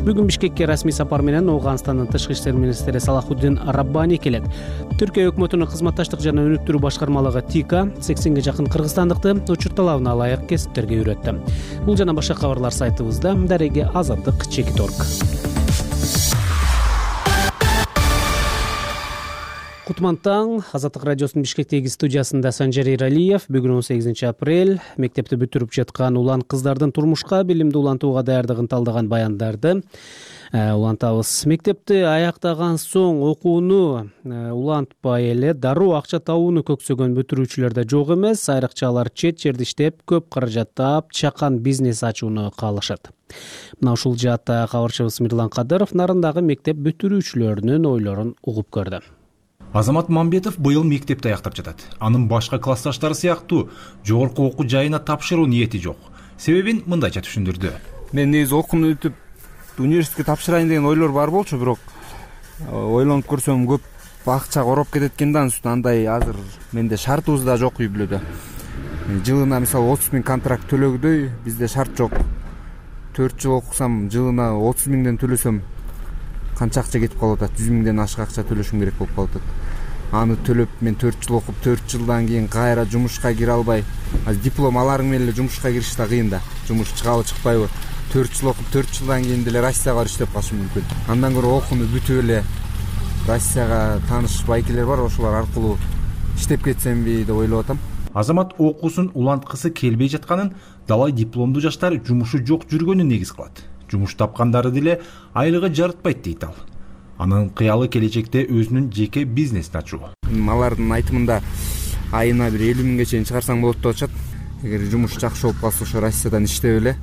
Бүгүн Бишкекке расмий сапар менен Ооганстандын тышкы иштер министри Салахуддин Раббани келет. Түркия өкмөтүнүн кызматташтык жана өнүктүрүү башкармалыгы ТИКа сексенге жакын кыргызстандыкты учур талабына ылайык кесиптерге үйрөттү. Бул жана башка кабарлар сайтыбызда. Дареге Азаттык чекит орг. Кутман таң. Азаттык радиосунун Бишкектеги студиясында Санжар Иралиев. Бүгүн он сегизинчи апрель мектепти бүтүрүп жаткан улан кыздардын турмушка, билимди улантууга даярдыгын талдаган баяндарды улантабыз. Мектепти аяктаган соң окууну улантпай эле дароо акча табууну көксөгөн бүтүрүүчүлөр да жок эмес. Айрыкча алар чет жерде иштеп, көп каражат таап, чакан бизнес ачууну каалашат. Мына ушул жаатта кабарчыбыз Мирлан Кадыров нарындагы мектеп бүтүрүүчүлөрүнүн ойлорун угуп көрдү. Азамат Мамбетов быйыл мектепти аяктап жатат. Анын башка классташтары сыяктуу жогорку окуу жайына тапшыруу ниети жок. Себебин мындайча түшүндүрдү. Мен негизи окууну бүтүп университетке тапшырайын деген ойлор бар болчу, бирок ойлонуп көрсөм көп акча ороп кетет экен да, анын андай азыр менде шартыбыз да жок үй бүлөдө. Жылына мисалы отуз миң контракт төлөгдөй бизде шарт жок. төрт жыл окусам жылына отуз миңден төлөсөм канча акча кетип калып атат? жүз миңден ашык акча төлөшүм керек болуп калып атат. Аны төлөп мен төрт жыл окуп, төрт жылдан кийин кайра жумушка кире албай, диплом аларың менен эле жумушка кириш да кыйын да. Жумуш чыгабы чыкпайбы? төрт жыл окуп, төрт жылдан кийин деле Россияга барып иштеп калышым мүмкүн. Андан көрө окууну бүтүп эле Россияга тааныш байкелер бар, ошолор аркылуу иштеп кетсемби деп ойлоп атам. Азамат окуусун уланткысы келбей жатканын далай дипломдуу жаштар жумушу жок жүргөнүн негиз кылат. Жумуш тапкандары деле айлыгы жарытпайт дейт ал. Анын кыялы келечекте өзүнүн жеке бизнесин ачуу. Алардын айтымында айына бир элүү миңге чейин чыгарсаң болот деп атышат. Эгер жумуш жакшы болуп калса, ошо Россиядан иштеп эле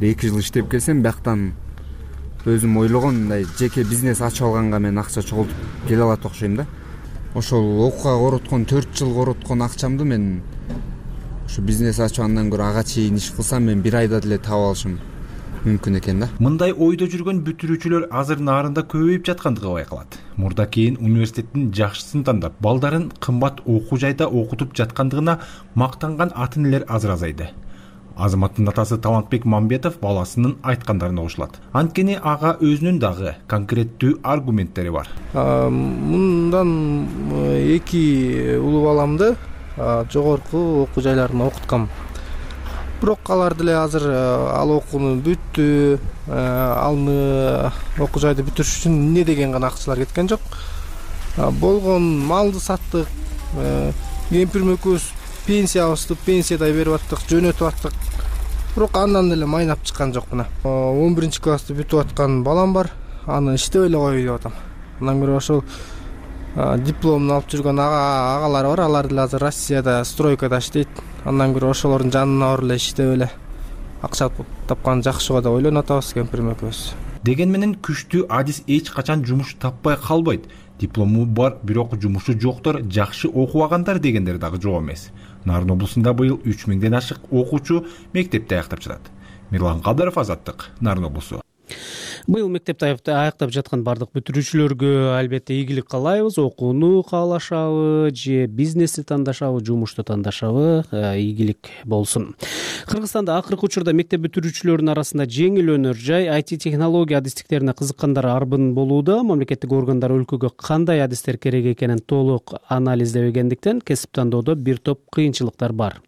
эки жыл иштеп келсем, бияктан өзүм ойлогон мындай жеке бизнес ачып алганга мен акча чогултуп келе алат окшойм да. Ошол окууга короткон төрт жыл короткон акчамды мен ошо бизнес ачып андан көрө ага чейин иш кылсам, мен бир айда деле таап алышым мүмкүн экен да. Мындай ойдо жүргөн бүтүрүүчүлөр азыр нарында көбөйүп жаткандыгы байкалат. Мурда кийин университеттин жакшысын тандап, балдарын кымбат окуу жайда окутуп жаткандыгына мактанган ата энелер азыр азайды. Азаматтын атасы Талантбек Мамбетов баласынын айткандарына кошулат. Анткени ага өзүнүн дагы конкреттүү аргументтери бар. Мындан эки улуу баламды жогорку окуу жайларына окуткам. Бирок алар деле азыр ал окууну бүттү, алны окуу жайды бүтүрүш үчүн эмне деген гана акчалар кеткен жок. Болгон малды саттык, кемпирим экөөбүз пенсиябызды пенсиядай берип аттык, жөнөтүп аттык. Бирок андан эле майнап чыккан жок мына. он биринчи классты бүтүп аткан балам бар. Аны иштеп эле коеюн деп атам. андан көрө ошол дипломун алып жүргөн агалар бар, алар деле азыр Россияда стройкада иштейт. Андан көрө ошолордун жанына барып эле иштеп эле акча тапкан жакшы го деп ойлонуп атабыз кемпирим экөөбүз. Деген менен күчтүү адис эч качан жумуш таппай калбайт. Диплому бар, бирок жумушу жоктор, жакшы окубагандар дегендер дагы жок эмес. Нарын облусунда быйыл үч миңден ашык окуучу мектепти аяктап жатат. Мирлан Кадыров, Азаттык, Нарын облусу. Быйыл мектепти аяктап жаткан бардык бүтүрүүчүлөргө албетте ийгилик каалайбыз. Окууну каалашабы же бизнести тандашабы, жумушту тандашабы, ийгилик болсун. Кыргызстанда акыркы учурда мектеп бүтүрүүчүлөрүнүн арасында жеңил өнөр жай ай ти технология адистиктерине кызыккандар арбын болууда. Мамлекеттик органдар өлкөгө кандай адистер керек экенин толук анализдебегендиктен кесип тандоодо бир топ кыйынчылыктар бар.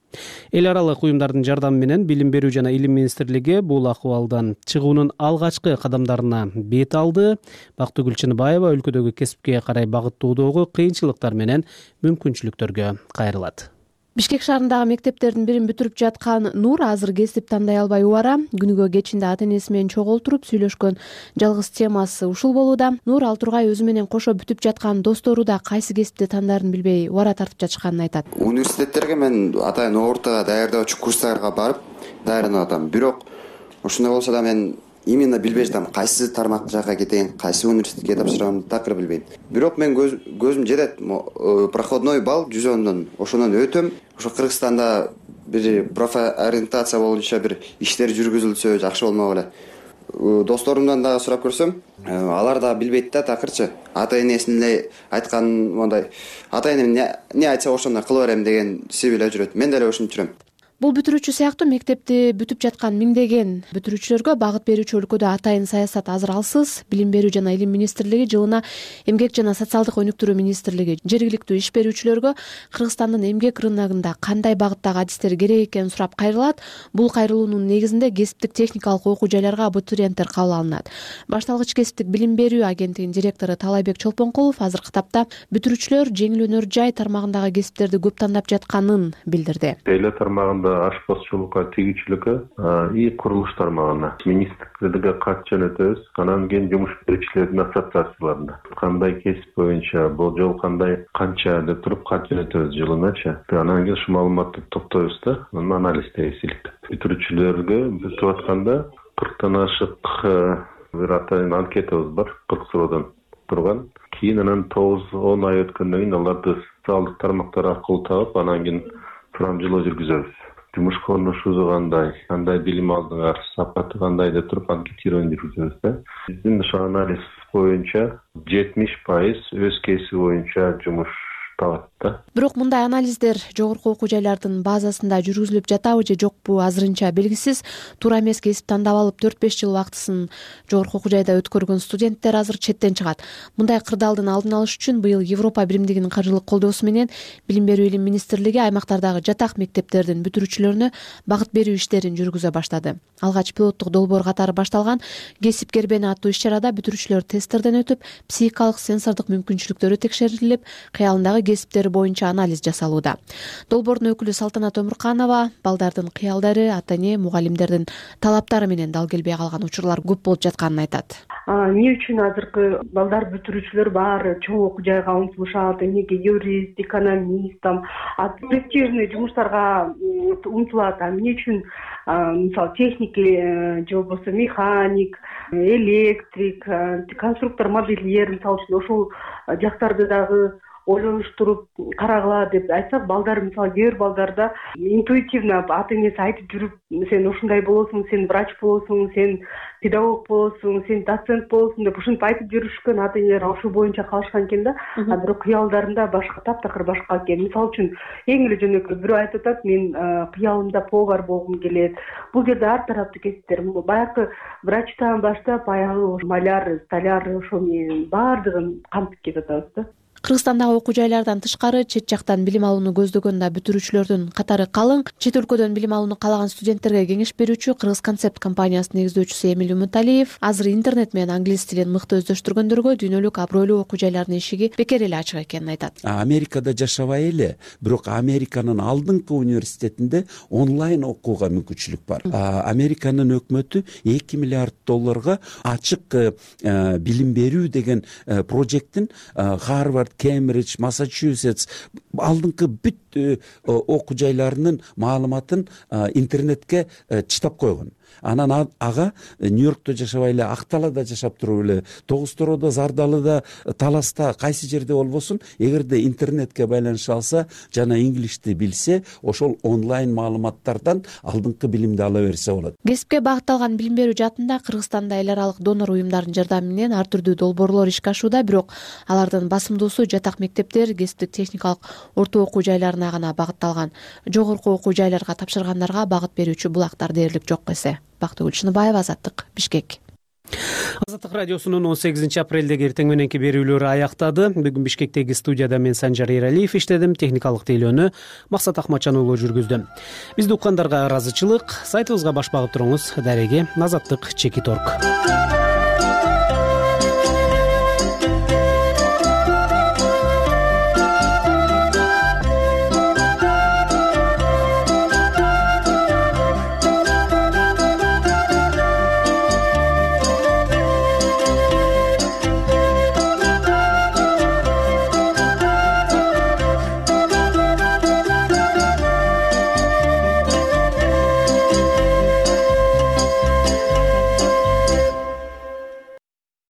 Эл аралык уюмдардын жардамы менен Билим берүү жана Илим министрлиги бул акыбалдан чыгуунун алгачкы кадамдарына бет алды. Бактыгүл Чыныбаева өлкөдөгү кесипке карай багыттоодогу кыйынчылыктар менен мүмкүнчүлүктөргө кайрылат. Бишкек шаарындагы мектептердин бирин бүтүрүп жаткан Нур азыр кесип тандай албай убара. Күнүгө кечинде ата энеси менен чогултуруп сүйлөшкөн жалгыз темасы ушул болууда. Нур ал тургай өзү менен кошо бүтүп жаткан достору да кайсы кесипти тандарын билбей убара тартып жатышканын айтат. Университеттерге мен атайын ортага даярдоочу курстарга барып даярданып атам. Бирок ошондой болсо да мен именно билбей жатам, кайсы тармак жака кетейин, кайсы университетке тапшырам, такыр билбейм. Бирок мен көзүм жетет, проходной балл жүзөндөн ошондон өтөм. Ошо Кыргызстанда бир профориентация боюнча бир иштер жүргүзүлсө жакшы болмок эле. Досторумдан дагы сурап көрсөм, алар да билбейт да такырчы. Ата энесинин эле айткан мондай, ата энем не айтса ошондой кыла берем деген себеп эле жүрөт. Мен деле ошентип жүрөм. Бул бүтүрүүчү сыяктуу мектепти бүтүп жаткан миңдеген бүтүрүүчүлөргө багыт берүүчү өлкөдө атайын саясат азыр алсыз. Билим берүү жана Илим министрлиги жылына Эмгек жана социалдык өнүктүрүү министрлиги жергиликтүү иш берүүчүлөргө Кыргызстандын эмгек рыногунда кандай багыттагы адистер керек экенин сурап кайрылат. Бул кайрылуунун негизинде кесиптик техникалык окуу жайларга абитуриенттер кабыл алынат. Башталгыч кесиптик билим берүү агенттигинин директору Талайбек Чолпонкулов азыркы тапта бүтүрүүчүлөр жеңил өнөр жай тармагындагы кесиптерди көп тандап жатканын билдирди. Эйле тармагында ашпозчулукка, тигүүчүлүккө, ий курулуш тармагына министрликке кат жөнөтөбүз. Анан кийин жумуш берүүчүлөрдүн ассоциацияларына кандай кесип боюнча, болжол кандай, канча деп туруп кат жөнөтөбүз жылыначы. Анан кийин ушул маалыматты топтойбуз да, анан анализдейбиз иликтеп. Бүтүрүүчүлөргө бүтүп атканда кырктан ашык бир атайын анкетабыз бар, кырк суроодон турган. Кийин анан тогуз он ай өткөндөн кийин аларды социалдык тармактар аркылуу таап, анан кийин сурамжылоо жүргүзөбүз. Жумуш конушубуз кандай, кандай билим алдыңар, сапаты кандай деп туруп анкетирование жүргүзөбүз да. Биздин ошо анализ боюнча жетимиш пайыз өз кесиби боюнча жумуш табат да. Бирок мындай анализдер жогорку окуу жайлардын базасында жүргүзүлүп жатабы же жокпу азырынча белгисиз. Туура эмес кесип тандап алып төрт беш жыл убактысын жогорку окуу жайда өткөргөн студенттер азыр четтен чыгат. Мындай кырдаалдын алдын алыш үчүн быйыл Европа биримдигинин каржылык колдоосу менен Билим берүү Илим министрлиги аймактардагы жатак мектептердин бүтүрүүчүлөрүнө багыт берүү иштерин жүргүзө баштады. Алгач пилоттук долбоор катары башталган кесип кербени аттуу иш-чарада бүтүрүүчүлөр тесттерден өтүп, психикалык сенсордук мүмкүнчүлүктөрү текшерилип, кыялындагы кесиптери боюнча анализ жасалууда. Долбоордун өкүлү Салтанат Өмүрканова балдардын кыялдары, ата эне, мугалимдердин талаптары менен дал келбей калган учурлар көп болуп жатканын айтат. Эмне үчүн азыркы балдар бүтүрүүчүлөр баары чоң окуу жайга умтулушат, эмнеге юрист, экономист, престижный жумуштарга умтулат, эмне үчүн мисалы техник же болбосо механик, электрик, конструктор, модельер мисалы үчүн ошол жактарды дагы ойлонуштуруп карагыла деп айтсак, балдар мисалы кээ бир балдарда интуитивно ата энеси айтып жүрүп, сен ушундай болосуң, сен врач болосуң, сен педагог болосуң, сен доцент болосуң деп ушинтип айтып жүрүшкөн ата энелер ошол боюнча калышкан экен да. А бирок кыялдарында башка, таптакыр башка экен. Мисалы үчүн эң эле жөнөкөй бирөө айтып атат, мен кыялымда повар болгум келет. Бул жерде ар тараптуу кесиптер, баягы врачтан баштап аягы маляр, столяр ошо менен баардыгын камтып кетип атабыз да. Кыргызстандагы окуу жайлардан тышкары чет жактан билим алууну көздөгөн да бүтүрүүчүлөрдүн катары калың. Чет өлкөдөн билим алууну каалаган студенттерге кеңеш берүүчү Кыргыз концепт компаниясынын негиздөөчүсү Эмиль Умуталиев азыр интернет менен англис тилин мыкты өздөштүргөндөргө дүйнөлүк абройлуу окуу жайлардын эшиги бекер эле ачык экенин айтат. Америкада жашабай эле, бирок Американын алдыңкы университетинде онлайн окууга мүмкүнчүлүк бар. Американын өкмөтү эки миллиард долларга ачык билим берүү деген прожектин Харвард, Кембридж, Массачусетс алдыңкы бүт окуу жайларынын маалыматын интернетке чытап койгон. Анан ага Нью-Йоркто жашабай эле, Акталада жашап туруп эле, Тогуз Тороодо, Зардалыда, Таласта кайсы жерде болбосун, эгерде интернетке байланыша алса жана инглишти билсе, ошол онлайн маалыматтардан алдыңкы билимди ала берсе болот. Кесипке багытталган билим берүү жаатында Кыргызстанда эл аралык донор уюмдардын жардамы менен ар түрдүү долбоорлор ишке ашууда, бирок алардын басымдуусу жатак мектептер, кесиптик техникалык орто окуу жайларына гана багытталган. Жогорку окуу жайларга тапшыргандарга багыт берүүчү булактар дээрлик жок эсе. Бактыгүл Шыныбаева, Азаттык, Бишкек. Азаттык радиосунун он сегизинчи апрелдеги эртең мененки берүүлөрү аяктады. Бүгүн Бишкектеги студияда мен Санжар Эралиев иштедим, техникалык тейлөөнү Максат Акматжан уулу жүргүздү. Бизди уккандарга ыраазычылык. Сайтыбызга баш багып туруңуз. Дареги Азаттык Чеки Торг.